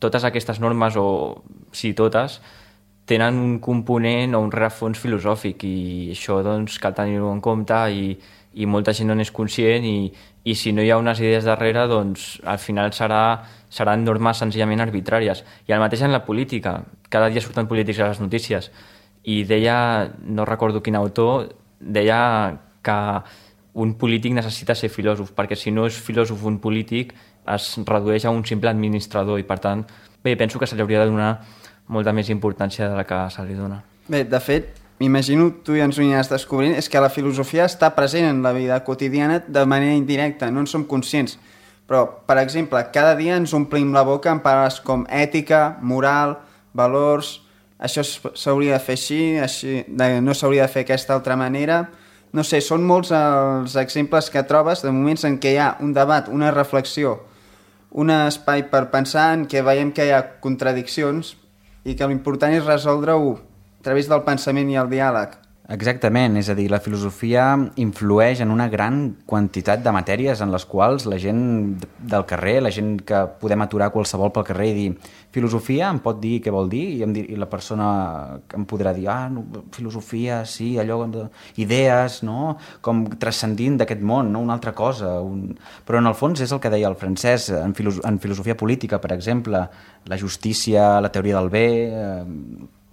totes aquestes normes, o sí, totes, tenen un component o un rerefons filosòfic, i això doncs cal tenir-ho en compte, i, i molta gent no n'és conscient, i, i si no hi ha unes idees darrere, doncs al final serà, seran normes senzillament arbitràries. I el mateix en la política, cada dia surten polítics a les notícies, i deia, no recordo quin autor, deia que un polític necessita ser filòsof, perquè si no és filòsof un polític es redueix a un simple administrador, i per tant, bé, penso que se li hauria de donar molta més importància de la que se li dona. Bé, de fet, m'imagino, tu ja ens ho aniràs descobrint, és que la filosofia està present en la vida quotidiana de manera indirecta, no en som conscients. Però, per exemple, cada dia ens omplim la boca amb paraules com ètica, moral, valors, això s'hauria de fer així, així no s'hauria de fer d'aquesta altra manera. No sé, són molts els exemples que trobes de moments en què hi ha un debat, una reflexió, un espai per pensar, en què veiem que hi ha contradiccions i que l'important és resoldre-ho a través del pensament i el diàleg. Exactament, és a dir, la filosofia influeix en una gran quantitat de matèries en les quals la gent del carrer, la gent que podem aturar qualsevol pel carrer i dir filosofia em pot dir què vol dir i, em dir, i la persona em podrà dir ah, no, filosofia, sí, allò idees, no? Com transcendint d'aquest món, no? Una altra cosa un... però en el fons és el que deia el francès en, filo... en filosofia política, per exemple, la justícia, la teoria del bé, eh,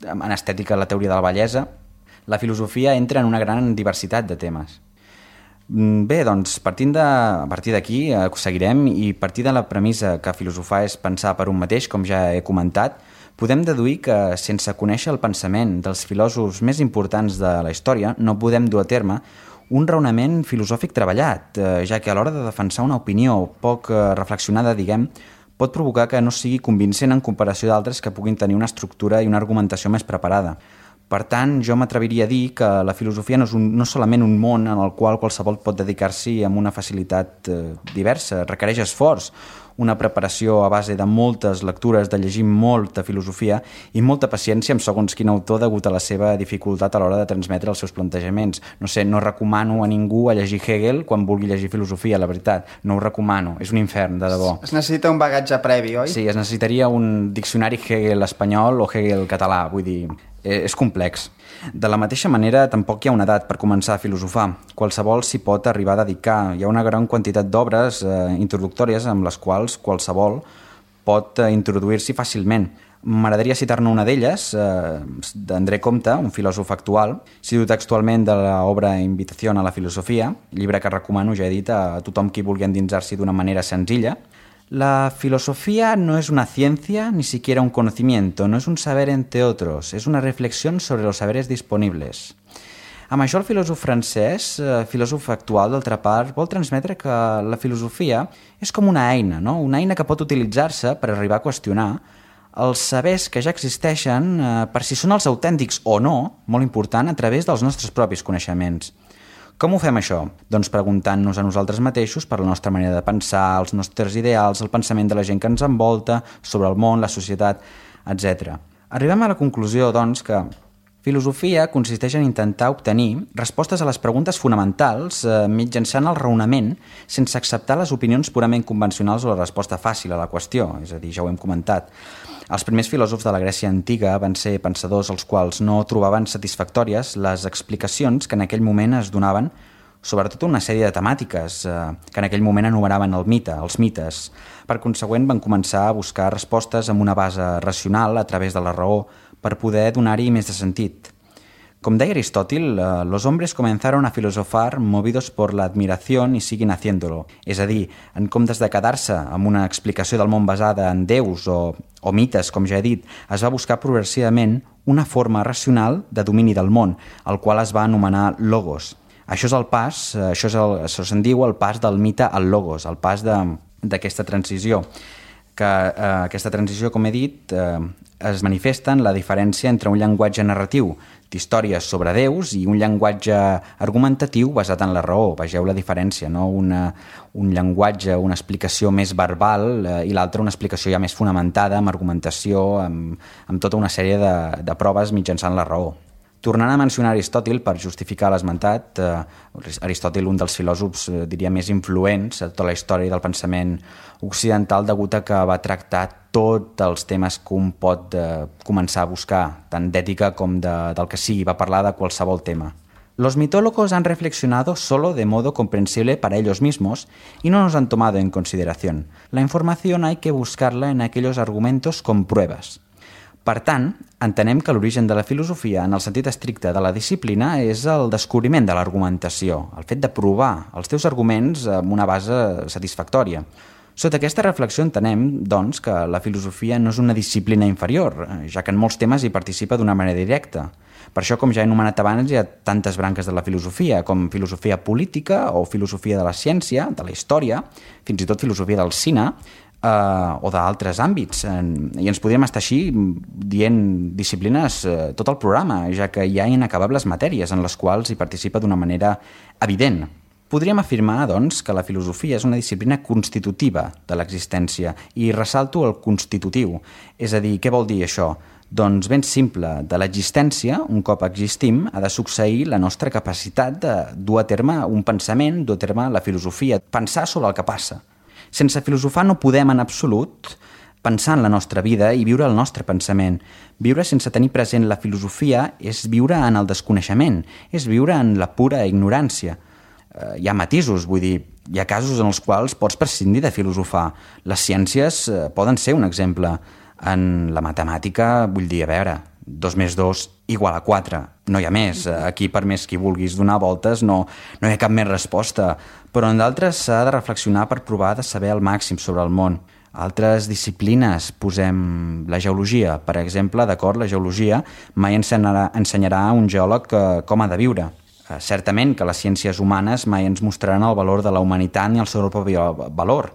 en estètica la teoria de la bellesa. La filosofia entra en una gran diversitat de temes. Bé, doncs, partint de, a partir d'aquí eh, seguirem i a partir de la premissa que filosofar és pensar per un mateix, com ja he comentat, podem deduir que sense conèixer el pensament dels filòsofs més importants de la història no podem dur a terme un raonament filosòfic treballat, eh, ja que a l'hora de defensar una opinió poc eh, reflexionada, diguem, pot provocar que no sigui convincent en comparació d'altres que puguin tenir una estructura i una argumentació més preparada. Per tant, jo m'atreviria a dir que la filosofia no és un, no solament un món en el qual qualsevol pot dedicar-s'hi amb una facilitat eh, diversa, requereix esforç, una preparació a base de moltes lectures, de llegir molta filosofia i molta paciència amb segons quin autor degut a la seva dificultat a l'hora de transmetre els seus plantejaments. No sé, no recomano a ningú a llegir Hegel quan vulgui llegir filosofia, la veritat. No ho recomano, és un infern, de debò. Es necessita un bagatge previ, oi? Sí, es necessitaria un diccionari Hegel espanyol o Hegel català, vull dir... és complex. De la mateixa manera, tampoc hi ha una edat per començar a filosofar. Qualsevol s'hi pot arribar a dedicar. Hi ha una gran quantitat d'obres eh, introductòries amb les quals qualsevol pot eh, introduir-s'hi fàcilment. M'agradaria citar-ne una d'elles, eh, d'André Comte, un filòsof actual. Cito textualment de l'obra Invitació a la filosofia, llibre que recomano, ja he dit, a tothom qui vulgui endinsar-s'hi d'una manera senzilla. La filosofía no es una ciencia, ni siquiera un conocimiento, no es un saber entre otros, es una reflexión sobre los saberes disponibles. Amb això el filòsof francès, eh, filòsof actual d'altra part, vol transmetre que la filosofia és com una eina, no? Una eina que pot utilitzar-se per arribar a qüestionar els sabers que ja existeixen eh, per si són els autèntics o no, molt important, a través dels nostres propis coneixements. Com ho fem això? Doncs preguntant-nos a nosaltres mateixos per la nostra manera de pensar, els nostres ideals, el pensament de la gent que ens envolta, sobre el món, la societat, etcètera. Arribem a la conclusió, doncs, que filosofia consisteix en intentar obtenir respostes a les preguntes fonamentals eh, mitjançant el raonament sense acceptar les opinions purament convencionals o la resposta fàcil a la qüestió, és a dir, ja ho hem comentat. Els primers filòsofs de la Grècia antiga van ser pensadors els quals no trobaven satisfactòries les explicacions que en aquell moment es donaven sobre tota una sèrie de temàtiques eh, que en aquell moment anomenaven el mite, els mites. Per consegüent van començar a buscar respostes amb una base racional a través de la raó per poder donar-hi més de sentit. Com deia Aristòtil, eh, los hombres comenzaron a filosofar movidos por la admiración y siguen haciéndolo. És a dir, en comptes de quedar-se amb una explicació del món basada en déus o, o mites, com ja he dit, es va buscar progressivament una forma racional de domini del món, el qual es va anomenar logos. Això és el pas, això, és el, això se'n diu el pas del mite al logos, el pas d'aquesta transició. Que eh, aquesta transició, com he dit, eh, es manifesta en la diferència entre un llenguatge narratiu d'històries sobre déus i un llenguatge argumentatiu basat en la raó. Vegeu la diferència, no? Una, un llenguatge, una explicació més verbal eh, i l'altra una explicació ja més fonamentada amb argumentació, amb, amb tota una sèrie de, de proves mitjançant la raó. Tornant a mencionar Aristòtil, per justificar l'esmentat, eh, Aristòtil, un dels filòsofs, eh, diria, més influents a tota la història del pensament occidental, degut a que va tractar tots els temes que un pot eh, començar a buscar, tant d'ètica com de, del que sigui, va parlar de qualsevol tema. Los mitólogos han reflexionado solo de modo comprensible para ellos mismos y no nos han tomado en consideración. La información hay que buscarla en aquellos argumentos con pruebas. Per tant, entenem que l'origen de la filosofia, en el sentit estricte de la disciplina, és el descobriment de l'argumentació, el fet de provar els teus arguments amb una base satisfactòria. Sota aquesta reflexió entenem, doncs, que la filosofia no és una disciplina inferior, ja que en molts temes hi participa d'una manera directa. Per això, com ja he anomenat abans, hi ha tantes branques de la filosofia, com filosofia política o filosofia de la ciència, de la història, fins i tot filosofia del cine, Uh, o d'altres àmbits, i ens podríem estar així dient disciplines uh, tot el programa, ja que hi ha inacabables matèries en les quals hi participa d'una manera evident. Podríem afirmar, doncs, que la filosofia és una disciplina constitutiva de l'existència, i ressalto el constitutiu. És a dir, què vol dir això? Doncs ben simple, de l'existència, un cop existim, ha de succeir la nostra capacitat de dur a terme un pensament, dur a terme la filosofia, pensar sobre el que passa. Sense filosofar no podem en absolut pensar en la nostra vida i viure el nostre pensament. Viure sense tenir present la filosofia és viure en el desconeixement, és viure en la pura ignorància. Eh, hi ha matisos, vull dir, hi ha casos en els quals pots prescindir de filosofar. Les ciències eh, poden ser un exemple. En la matemàtica, vull dir, a veure, dos més dos igual a quatre, no hi ha més. Aquí, per més que vulguis donar voltes, no, no hi ha cap més resposta. Però en d'altres s'ha de reflexionar per provar de saber el màxim sobre el món. Altres disciplines, posem la geologia, per exemple, d'acord, la geologia mai ensenyarà, ensenyarà a un geòleg com ha de viure. Certament que les ciències humanes mai ens mostraran el valor de la humanitat ni el seu propi valor.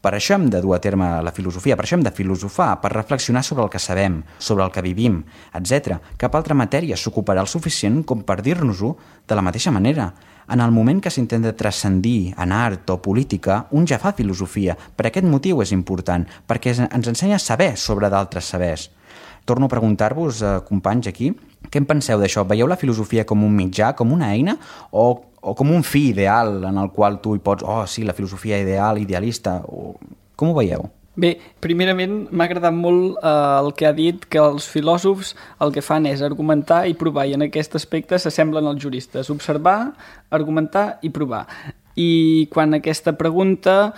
Per això hem de dur a terme la filosofia, per això hem de filosofar, per reflexionar sobre el que sabem, sobre el que vivim, etcètera. Cap altra matèria s'ocuparà el suficient com per dir-nos-ho de la mateixa manera. En el moment que s'intenta transcendir en art o política, un ja fa filosofia. Per aquest motiu és important, perquè ens ensenya a saber sobre d'altres sabers. Torno a preguntar-vos, eh, companys aquí, què en penseu d'això? Veieu la filosofia com un mitjà, com una eina, o o com un fi ideal en el qual tu hi pots, oh sí, la filosofia ideal, idealista, o... com ho veieu? Bé, primerament m'ha agradat molt eh, el que ha dit, que els filòsofs el que fan és argumentar i provar, i en aquest aspecte s'assemblen als juristes, observar, argumentar i provar. I quan aquesta pregunta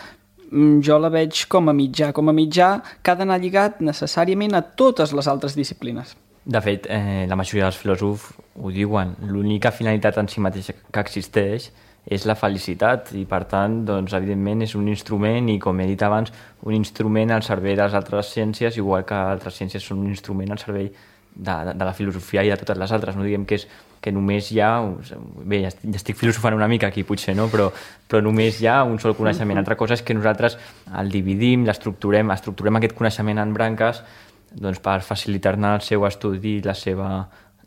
jo la veig com a mitjà, com a mitjà que ha d'anar lligat necessàriament a totes les altres disciplines. De fet, eh, la majoria dels filòsofs ho diuen, l'única finalitat en si mateixa que existeix és la felicitat i, per tant, doncs, evidentment és un instrument i, com he dit abans, un instrument al servei de les altres ciències, igual que altres ciències són un instrument al servei de, de, de la filosofia i de totes les altres. No diguem que, és, que només hi ha... Bé, ja estic, ja estic filosofant una mica aquí, potser, no? Però, però només hi ha un sol coneixement. Altra cosa és que nosaltres el dividim, l'estructurem, estructurem aquest coneixement en branques doncs per facilitar-ne el seu estudi i la seva,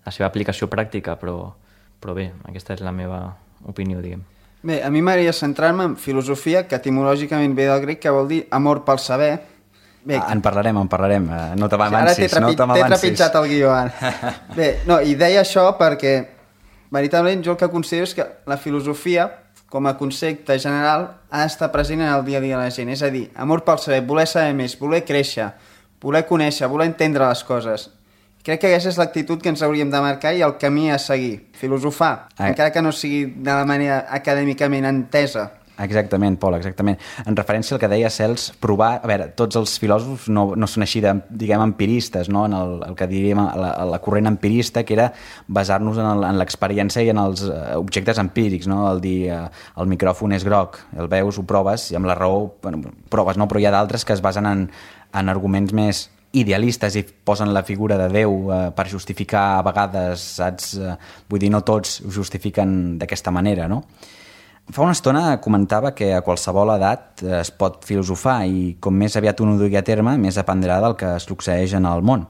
la seva aplicació pràctica, però, però bé, aquesta és la meva opinió, diguem. Bé, a mi m'agradaria centrar-me en filosofia, que etimològicament ve del grec, que vol dir amor pel saber. Bé, ah, en parlarem, en parlarem, no te m'avancis, sí, no te m'avancis. T'he trepitjat el guió. Bé, no, i deia això perquè, veritablement, jo el que considero és que la filosofia, com a concepte general, ha d'estar present en el dia a dia de la gent. És a dir, amor pel saber, voler saber més, voler créixer, voler conèixer, voler entendre les coses. Crec que aquesta és l'actitud que ens hauríem de marcar i el camí a seguir. Filosofar, ah. encara que no sigui de la manera acadèmicament entesa. Exactament, Pol, exactament. En referència al que deia Cels, provar... A veure, tots els filòsofs no, no són així, de, diguem, empiristes, no? En el, el que diríem la, la corrent empirista, que era basar-nos en, en l'experiència i en els objectes empírics, no? El dir, eh, el micròfon és groc, el veus, ho proves, i amb la raó, bueno, proves, no? Però hi ha d'altres que es basen en, en arguments més idealistes i posen la figura de Déu eh, per justificar a vegades, saps? Eh, vull dir, no tots ho justifiquen d'aquesta manera, no? Fa una estona comentava que a qualsevol edat es pot filosofar i com més aviat un ho dugui a terme, més aprendrà del que succeeix en el món.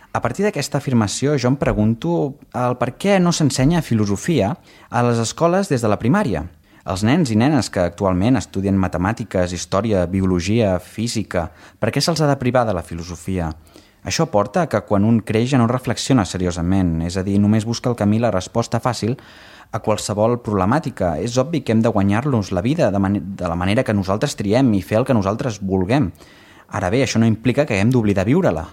A partir d'aquesta afirmació jo em pregunto el per què no s'ensenya filosofia a les escoles des de la primària. Els nens i nenes que actualment estudien matemàtiques, història, biologia, física, per què se'ls ha de privar de la filosofia? Això porta que quan un creix ja no reflexiona seriosament, és a dir, només busca el camí la resposta fàcil a qualsevol problemàtica. És obvi que hem de guanyar-nos la vida de, man de la manera que nosaltres triem i fer el que nosaltres vulguem. Ara bé, això no implica que hem d'oblidar viure-la,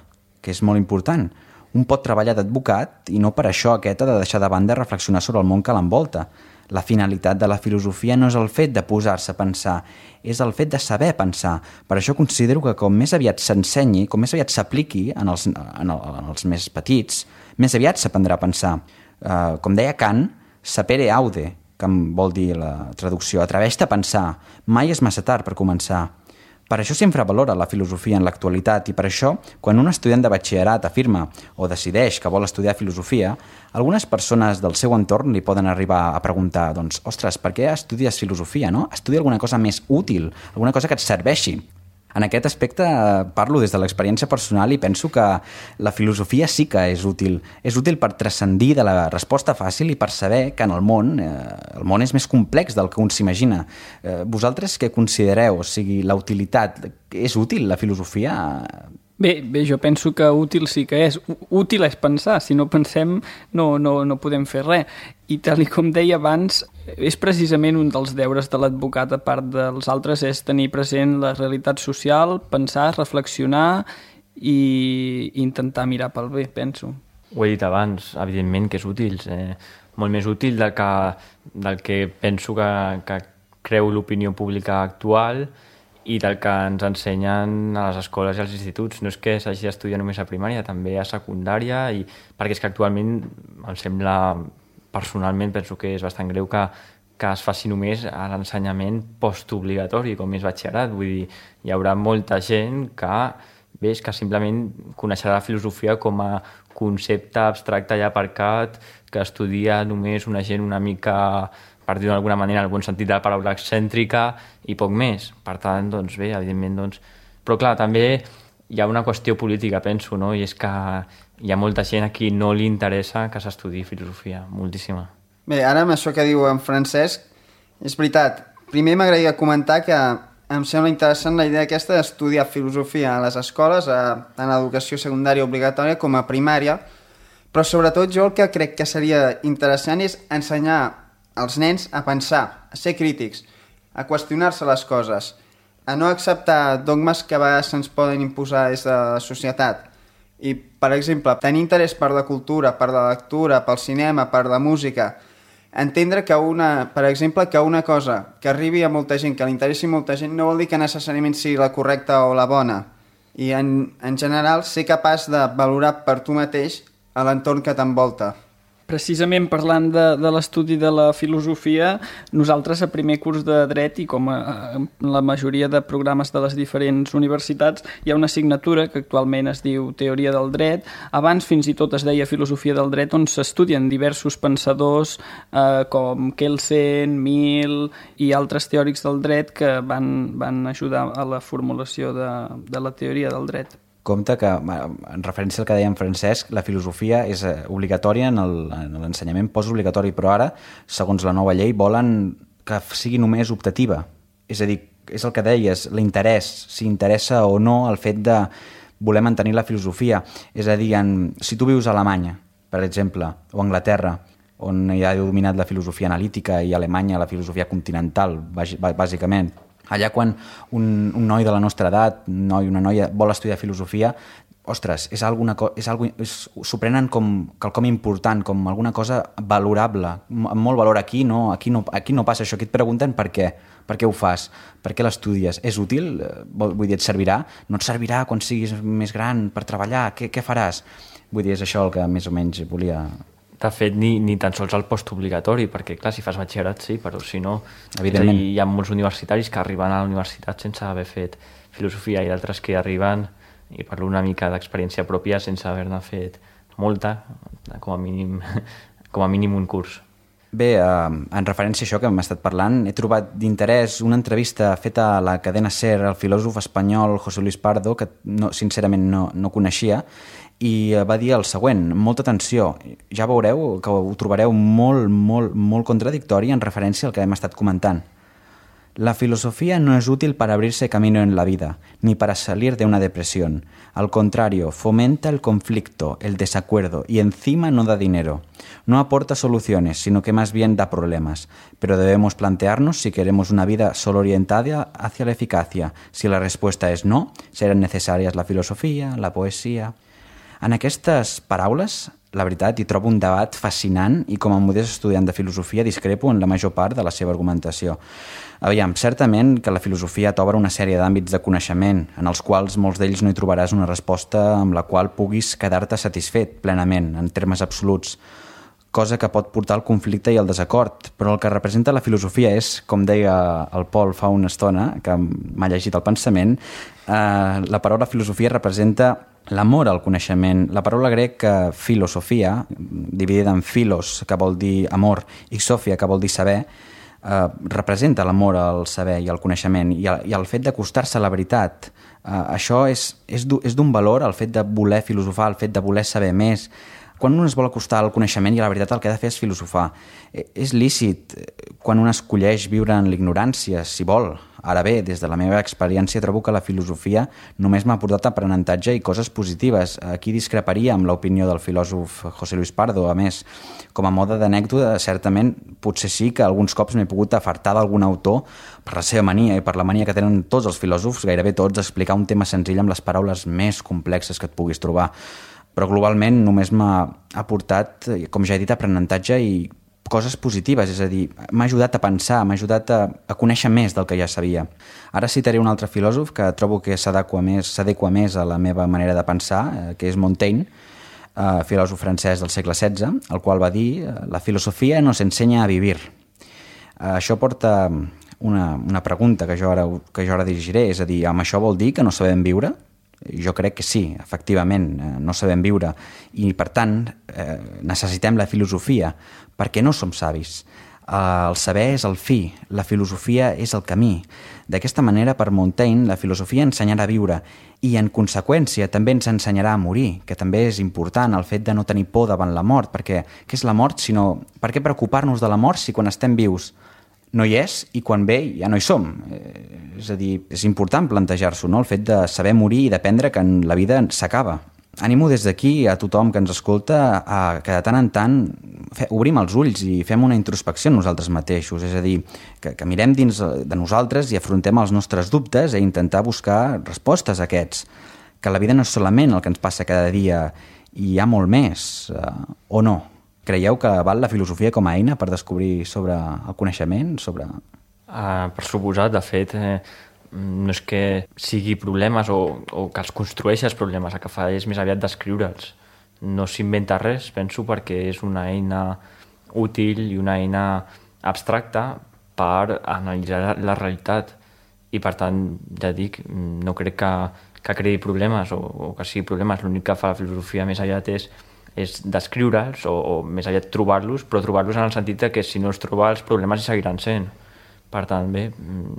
que és molt important. Un pot treballar d'advocat i no per això aquest ha de deixar de banda reflexionar sobre el món que l'envolta. La finalitat de la filosofia no és el fet de posar-se a pensar, és el fet de saber pensar. Per això considero que com més aviat s'ensenyi, com més aviat s'apliqui en, els, en, el, en els més petits, més aviat s'aprendrà a pensar. Uh, com deia Kant, sapere aude, que vol dir la traducció, atreveix-te a pensar, mai és massa tard per començar. Per això s'infra valora la filosofia en l'actualitat i per això, quan un estudiant de batxillerat afirma o decideix que vol estudiar filosofia, algunes persones del seu entorn li poden arribar a preguntar, doncs, ostres, per què estudies filosofia, no? Estudia alguna cosa més útil, alguna cosa que et serveixi. En aquest aspecte parlo des de l'experiència personal i penso que la filosofia sí que és útil. És útil per transcendir de la resposta fàcil i per saber que en el món, eh, el món és més complex del que un s'imagina. Eh, vosaltres què considereu? O sigui, la utilitat, és útil la filosofia? Bé, bé, jo penso que útil sí que és. Útil és pensar, si no pensem no, no, no podem fer res. I tal i com deia abans, és precisament un dels deures de l'advocat, a part dels altres, és tenir present la realitat social, pensar, reflexionar i intentar mirar pel bé, penso. Ho he dit abans, evidentment que és útil, eh, molt més útil del que, del que penso que, que creu l'opinió pública actual i del que ens ensenyen a les escoles i als instituts. No és que s'hagi d'estudiar només a primària, també a secundària, i perquè és que actualment em sembla, personalment penso que és bastant greu que, que es faci només a l'ensenyament postobligatori, com és batxillerat. Vull dir, hi haurà molta gent que, bé, és que simplement coneixerà la filosofia com a concepte abstracte i aparcat que estudia només una gent una mica, per dir-ho d'alguna manera, en el bon sentit de la paraula, excèntrica i poc més. Per tant, doncs bé, evidentment, doncs... Però clar, també hi ha una qüestió política, penso, no? I és que hi ha molta gent a qui no li interessa que s'estudi filosofia, moltíssima. Bé, ara amb això que diu en Francesc, és veritat. Primer m'agradaria comentar que em sembla interessant la idea aquesta d'estudiar filosofia a les escoles, a, a l'educació secundària obligatòria com a primària, però sobretot jo el que crec que seria interessant és ensenyar als nens a pensar, a ser crítics, a qüestionar-se les coses, a no acceptar dogmes que a vegades se'ns poden imposar des de la societat. I, per exemple, tenir interès per la cultura, per la lectura, pel cinema, per la música, entendre que una, per exemple, que una cosa que arribi a molta gent, que li interessi molta gent, no vol dir que necessàriament sigui la correcta o la bona. I, en, en general, ser capaç de valorar per tu mateix a l'entorn que t'envolta. Precisament parlant de, de l'estudi de la filosofia, nosaltres a primer curs de dret i com a, a la majoria de programes de les diferents universitats hi ha una assignatura que actualment es diu Teoria del Dret. Abans fins i tot es deia Filosofia del Dret, on s'estudien diversos pensadors eh, com Kelsen, Mill i altres teòrics del dret que van, van ajudar a la formulació de, de la teoria del dret. Compte que, en referència al que deia en Francesc, la filosofia és obligatòria en l'ensenyament postobligatori, però ara, segons la nova llei, volen que sigui només optativa. És a dir, és el que deies, l'interès, si interessa o no el fet de voler mantenir la filosofia. És a dir, en, si tu vius a Alemanya, per exemple, o a Anglaterra, on hi ha dominat la filosofia analítica i a Alemanya la filosofia continental, bàsicament, allà quan un, un noi de la nostra edat, un noi, una noia, vol estudiar filosofia, ostres, és alguna co- és algo, és, s'ho prenen com quelcom important, com alguna cosa valorable, amb molt valor. Aquí no, aquí no, aquí no passa això, aquí et pregunten per què, per què ho fas, per què l'estudies, és útil? Vull dir, et servirà? No et servirà quan siguis més gran per treballar? Què, què faràs? Vull dir, és això el que més o menys volia... De fet, ni, ni tan sols el postobligatori, perquè, clar, si fas batxillerat sí, però si no... Evidentment. Hi ha molts universitaris que arriben a la universitat sense haver fet filosofia i d'altres que arriben, i parlo una mica d'experiència pròpia, sense haver-ne fet molta, com a mínim, com a mínim un curs. Bé, eh, en referència a això que hem estat parlant, he trobat d'interès una entrevista feta a la cadena SER al filòsof espanyol José Luis Pardo, que no, sincerament no, no coneixia, i va dir el següent: molta atenció, ja veureu que ho trobareu molt, molt, molt contradictori en referència al que hem estat comentant. La filosofía no es útil para abrirse camino en la vida, ni para salir de una depresión. Al contrario, fomenta el conflicto, el desacuerdo y encima no da dinero. No aporta soluciones, sino que más bien da problemas. Pero debemos plantearnos si queremos una vida solo orientada hacia la eficacia. Si la respuesta es no, serán necesarias la filosofía, la poesía... En aquestes paraules, la veritat, hi trobo un debat fascinant i com a modest estudiant de filosofia discrepo en la major part de la seva argumentació. Aviam, certament que la filosofia t'obre una sèrie d'àmbits de coneixement, en els quals molts d'ells no hi trobaràs una resposta amb la qual puguis quedar-te satisfet plenament, en termes absoluts, cosa que pot portar al conflicte i al desacord, però el que representa la filosofia és, com deia el Pol fa una estona, que m'ha llegit el pensament, eh, la paraula filosofia representa l'amor al coneixement. La paraula grec filosofia, dividida en philos, que vol dir amor, i sofia, que vol dir saber, eh, representa l'amor al saber i al coneixement, i el, i el fet d'acostar-se a la veritat. Eh, això és, és d'un valor, el fet de voler filosofar, el fet de voler saber més, quan un es vol acostar al coneixement i a la veritat el que ha de fer és filosofar. És lícit quan un escolleix viure en l'ignorància, si vol. Ara bé, des de la meva experiència trobo que la filosofia només m'ha portat aprenentatge i coses positives. Aquí discreparia amb l'opinió del filòsof José Luis Pardo. A més, com a mode d'anècdota, certament potser sí que alguns cops m'he pogut afartar d'algun autor per la seva mania i per la mania que tenen tots els filòsofs, gairebé tots, d'explicar un tema senzill amb les paraules més complexes que et puguis trobar. Però globalment només m'ha aportat, com ja he dit, aprenentatge i coses positives, és a dir, m'ha ajudat a pensar, m'ha ajudat a, a conèixer més del que ja sabia. Ara citaré un altre filòsof que trobo que s'adequa més, s'adequa més a la meva manera de pensar, eh, que és Montaigne, eh, filòsof francès del segle setze, el qual va dir «La filosofia nos enseña a vivir». Eh, això porta una, una pregunta que jo, ara, que jo ara dirigiré, és a dir, amb això vol dir que no sabem viure? Jo crec que sí, efectivament, no sabem viure i, per tant, eh, necessitem la filosofia perquè no som savis. El saber és el fi, la filosofia és el camí. D'aquesta manera, per Montaigne, la filosofia ensenyarà a viure i, en conseqüència, també ens ensenyarà a morir, que també és important el fet de no tenir por davant la mort, perquè què és la mort, sinó per què preocupar-nos de la mort si quan estem vius no hi és i quan ve ja no hi som. Eh, és a dir, és important plantejar-s'ho, no? El fet de saber morir i d'aprendre que la vida s'acaba. Animo des d'aquí a tothom que ens escolta a que de tant en tant fe, obrim els ulls i fem una introspecció en nosaltres mateixos, és a dir, que, que mirem dins de nosaltres i afrontem els nostres dubtes i intentar buscar respostes a aquests, que la vida no és solament el que ens passa cada dia, i hi ha molt més, eh, o no? Creieu que val la filosofia com a eina per descobrir sobre el coneixement? Sobre... Uh, per suposat, de fet, eh, no és que sigui problemes o, o que els construeixi els problemes, el que fa és més aviat descriure'ls. No s'inventa res, penso, perquè és una eina útil i una eina abstracta per analitzar la realitat. I, per tant, ja dic, no crec que, que creï problemes o, o que sigui problemes. L'únic que fa la filosofia més aviat és és descriure'ls o, o més aviat trobar-los, però trobar-los en el sentit que si no els troba els problemes hi seguiran sent. Per tant, bé,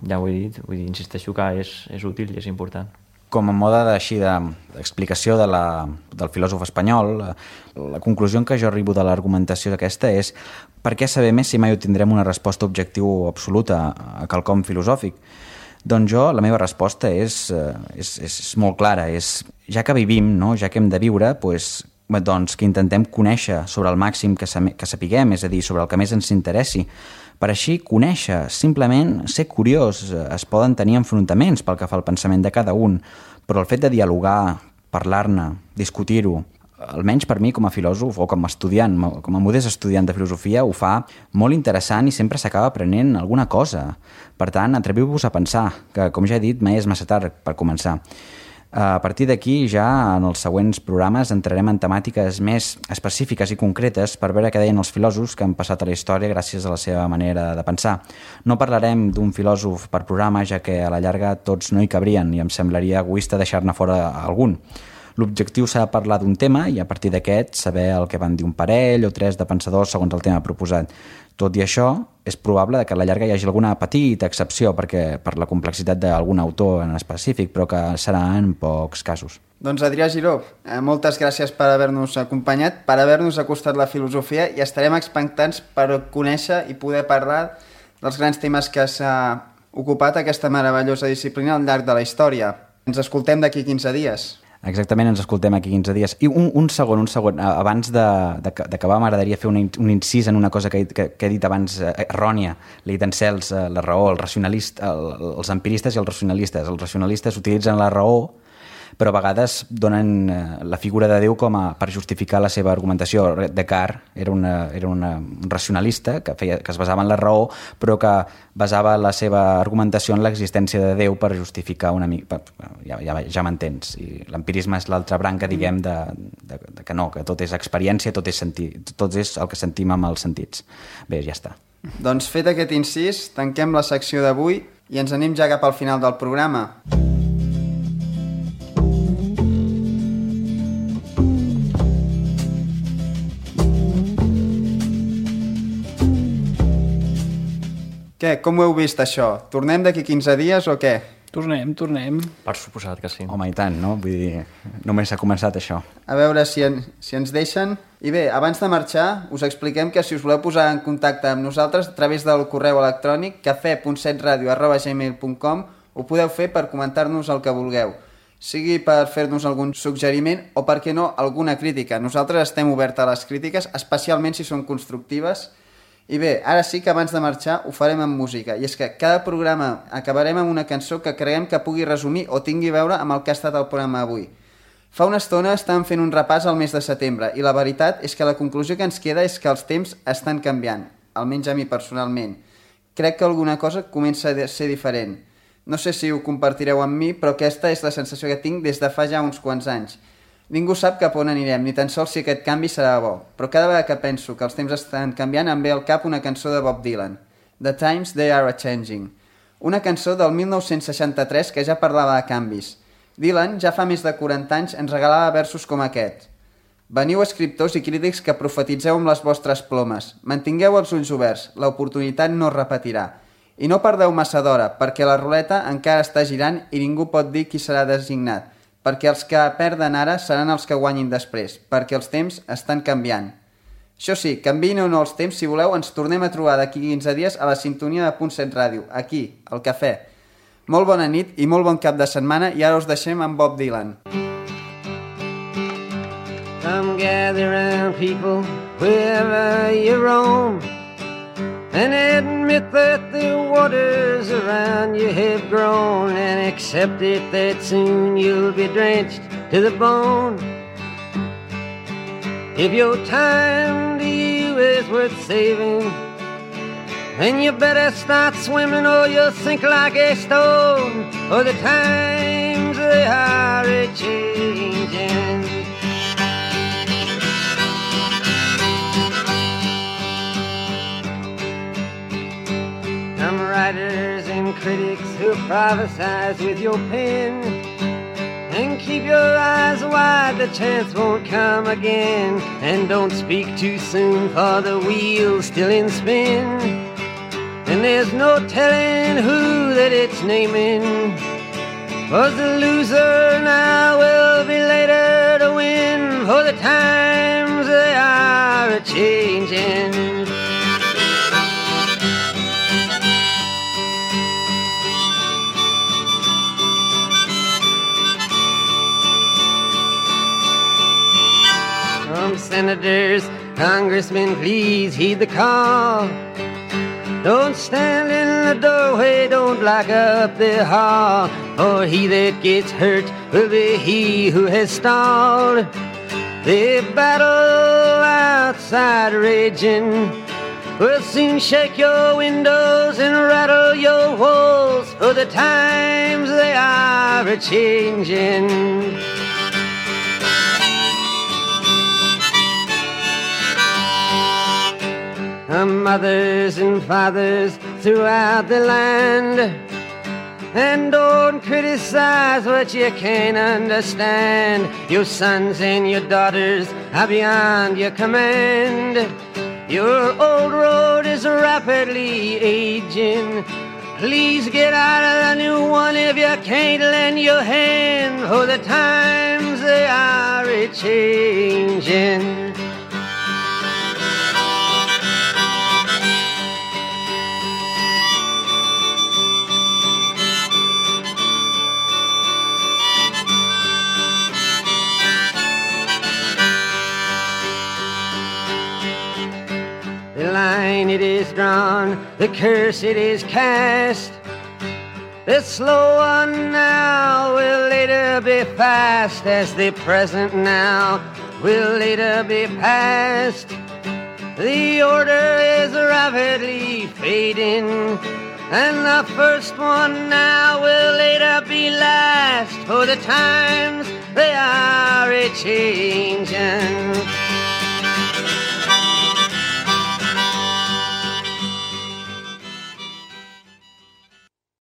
ja ho he dit, vull dir, insisteixo que és, és útil i és important. Com a mode així d'explicació de, la, del filòsof espanyol, la, la conclusió en què jo arribo de l'argumentació aquesta és per què saber més si mai obtindrem una resposta objectiva o absoluta a quelcom filosòfic? Doncs jo, la meva resposta és, és, és molt clara, és ja que vivim, no? Ja que hem de viure, doncs, doncs que intentem conèixer sobre el màxim que, que sapiguem, és a dir, sobre el que més ens interessi. Per així conèixer, simplement ser curiós, es poden tenir enfrontaments pel que fa al pensament de cada un, però el fet de dialogar, parlar-ne, discutir-ho, almenys per mi com a filòsof o com a estudiant, com a modest estudiant de filosofia, ho fa molt interessant i sempre s'acaba aprenent alguna cosa. Per tant, atreviu-vos a pensar, que com ja he dit, mai és massa tard per començar. A partir d'aquí, ja en els següents programes entrarem en temàtiques més específiques i concretes per veure què deien els filòsofs que han passat a la història gràcies a la seva manera de pensar. No parlarem d'un filòsof per programa, ja que a la llarga tots no hi cabrien i em semblaria egoista deixar-ne fora algun. L'objectiu serà parlar d'un tema i a partir d'aquest saber el que van dir un parell o tres de pensadors segons el tema proposat. Tot i això, és probable que a la llarga hi hagi alguna petita excepció perquè per la complexitat d'algun autor en específic, però que serà en pocs casos. Doncs Adrià Giró, moltes gràcies per haver-nos acompanyat, per haver-nos acostat la filosofia i estarem expectants per conèixer i poder parlar dels grans temes que s'ha ocupat aquesta meravellosa disciplina al llarg de la història. Ens escoltem d'aquí quinze dies. Exactament, ens escoltem aquí quinze dies. I un, un segon, un segon, abans d'acabar m'agradaria fer un, un incís en una cosa que, que, que he dit abans eh, errònia. L'he dit en Cels, eh, la raó, el racionalista, el, els empiristes i els racionalistes. Els racionalistes utilitzen la raó, però a vegades donen eh, la figura de Déu com a, per justificar la seva argumentació. Descartes era, una, era una, un racionalista que, feia, que es basava en la raó, però que basava la seva argumentació en l'existència de Déu per justificar una mica... Ja, ja, ja m'entens. I l'empirisme és l'altra branca, diguem, de, de, de que no, que tot és experiència, tot és, sentir, tot és el que sentim amb els sentits. Bé, ja està. Doncs fet aquest incís, tanquem la secció d'avui i ens anem ja cap al final del programa. Què? Com ho heu vist, això? Tornem d'aquí quinze dies o què? Tornem, tornem. Per suposat que sí. Home, i tant, no? Vull dir, només s'ha començat això. A veure si, en, si ens deixen. I bé, abans de marxar, us expliquem que si us voleu posar en contacte amb nosaltres a través del correu electrònic cafè punt set radio arroba gmail punt com ho podeu fer per comentar-nos el que vulgueu. Sigui per fer-nos algun suggeriment o, per què no, alguna crítica. Nosaltres estem oberts a les crítiques, especialment si són constructives. I bé, ara sí que abans de marxar ho farem amb música. I és que cada programa acabarem amb una cançó que creiem que pugui resumir o tingui a veure amb el que ha estat el programa avui. Fa una estona estàvem fent un repàs al mes de setembre i la veritat és que la conclusió que ens queda és que els temps estan canviant, almenys a mi personalment. Crec que alguna cosa comença a ser diferent. No sé si ho compartireu amb mi, però aquesta és la sensació que tinc des de fa ja uns quants anys. Ningú sap cap on anirem, ni tan sols si aquest canvi serà bo, però cada vegada que penso que els temps estan canviant em ve al cap una cançó de Bob Dylan, The Times They Are A-Changing, una cançó del mil nou-cents seixanta-tres que ja parlava de canvis. Dylan ja fa més de quaranta anys ens regalava versos com aquest. Veniu escriptors i crítics que profetitzeu amb les vostres plomes, mantingueu els ulls oberts, l'oportunitat no es repetirà. I no perdeu massa d'hora, perquè la ruleta encara està girant i ningú pot dir qui serà designat, perquè els que perden ara seran els que guanyin després, perquè els temps estan canviant. Això sí, canviïn o no els temps, si voleu, ens tornem a trobar d'aquí quinze dies a la sintonia de Punt set Ràdio, aquí, al Cafè. Molt bona nit i molt bon cap de setmana, i ara us deixem amb Bob Dylan. Come gather round people wherever you roam, and admit that the waters around you have grown, and accept it that soon you'll be drenched to the bone. If your time to you is worth saving, then you better start swimming or you'll sink like a stone, for the times they are a-changing. Some writers and critics who prophesize with your pen, and keep your eyes wide, the chance won't come again. And don't speak too soon, for the wheel's still in spin, and there's no telling who that it's naming. Was the loser now will be later to win, for the times they are a-changing. Senators, congressmen, please heed the call. Don't stand in the doorway, don't block up the hall, for he that gets hurt will be he who has stalled. The battle outside raging will soon shake your windows and rattle your walls, for the times they are a-changing. Mothers and fathers throughout the land, and don't criticize what you can't understand. Your sons and your daughters are beyond your command. Your old road is rapidly aging. Please get out of the new one if you can't lend your hand, for the times they are a-changing. It is drawn, the curse it is cast. The slow one now will later be fast, as the present now will later be past. The order is rapidly fading, and the first one now will later be last, for the times they are a-changing.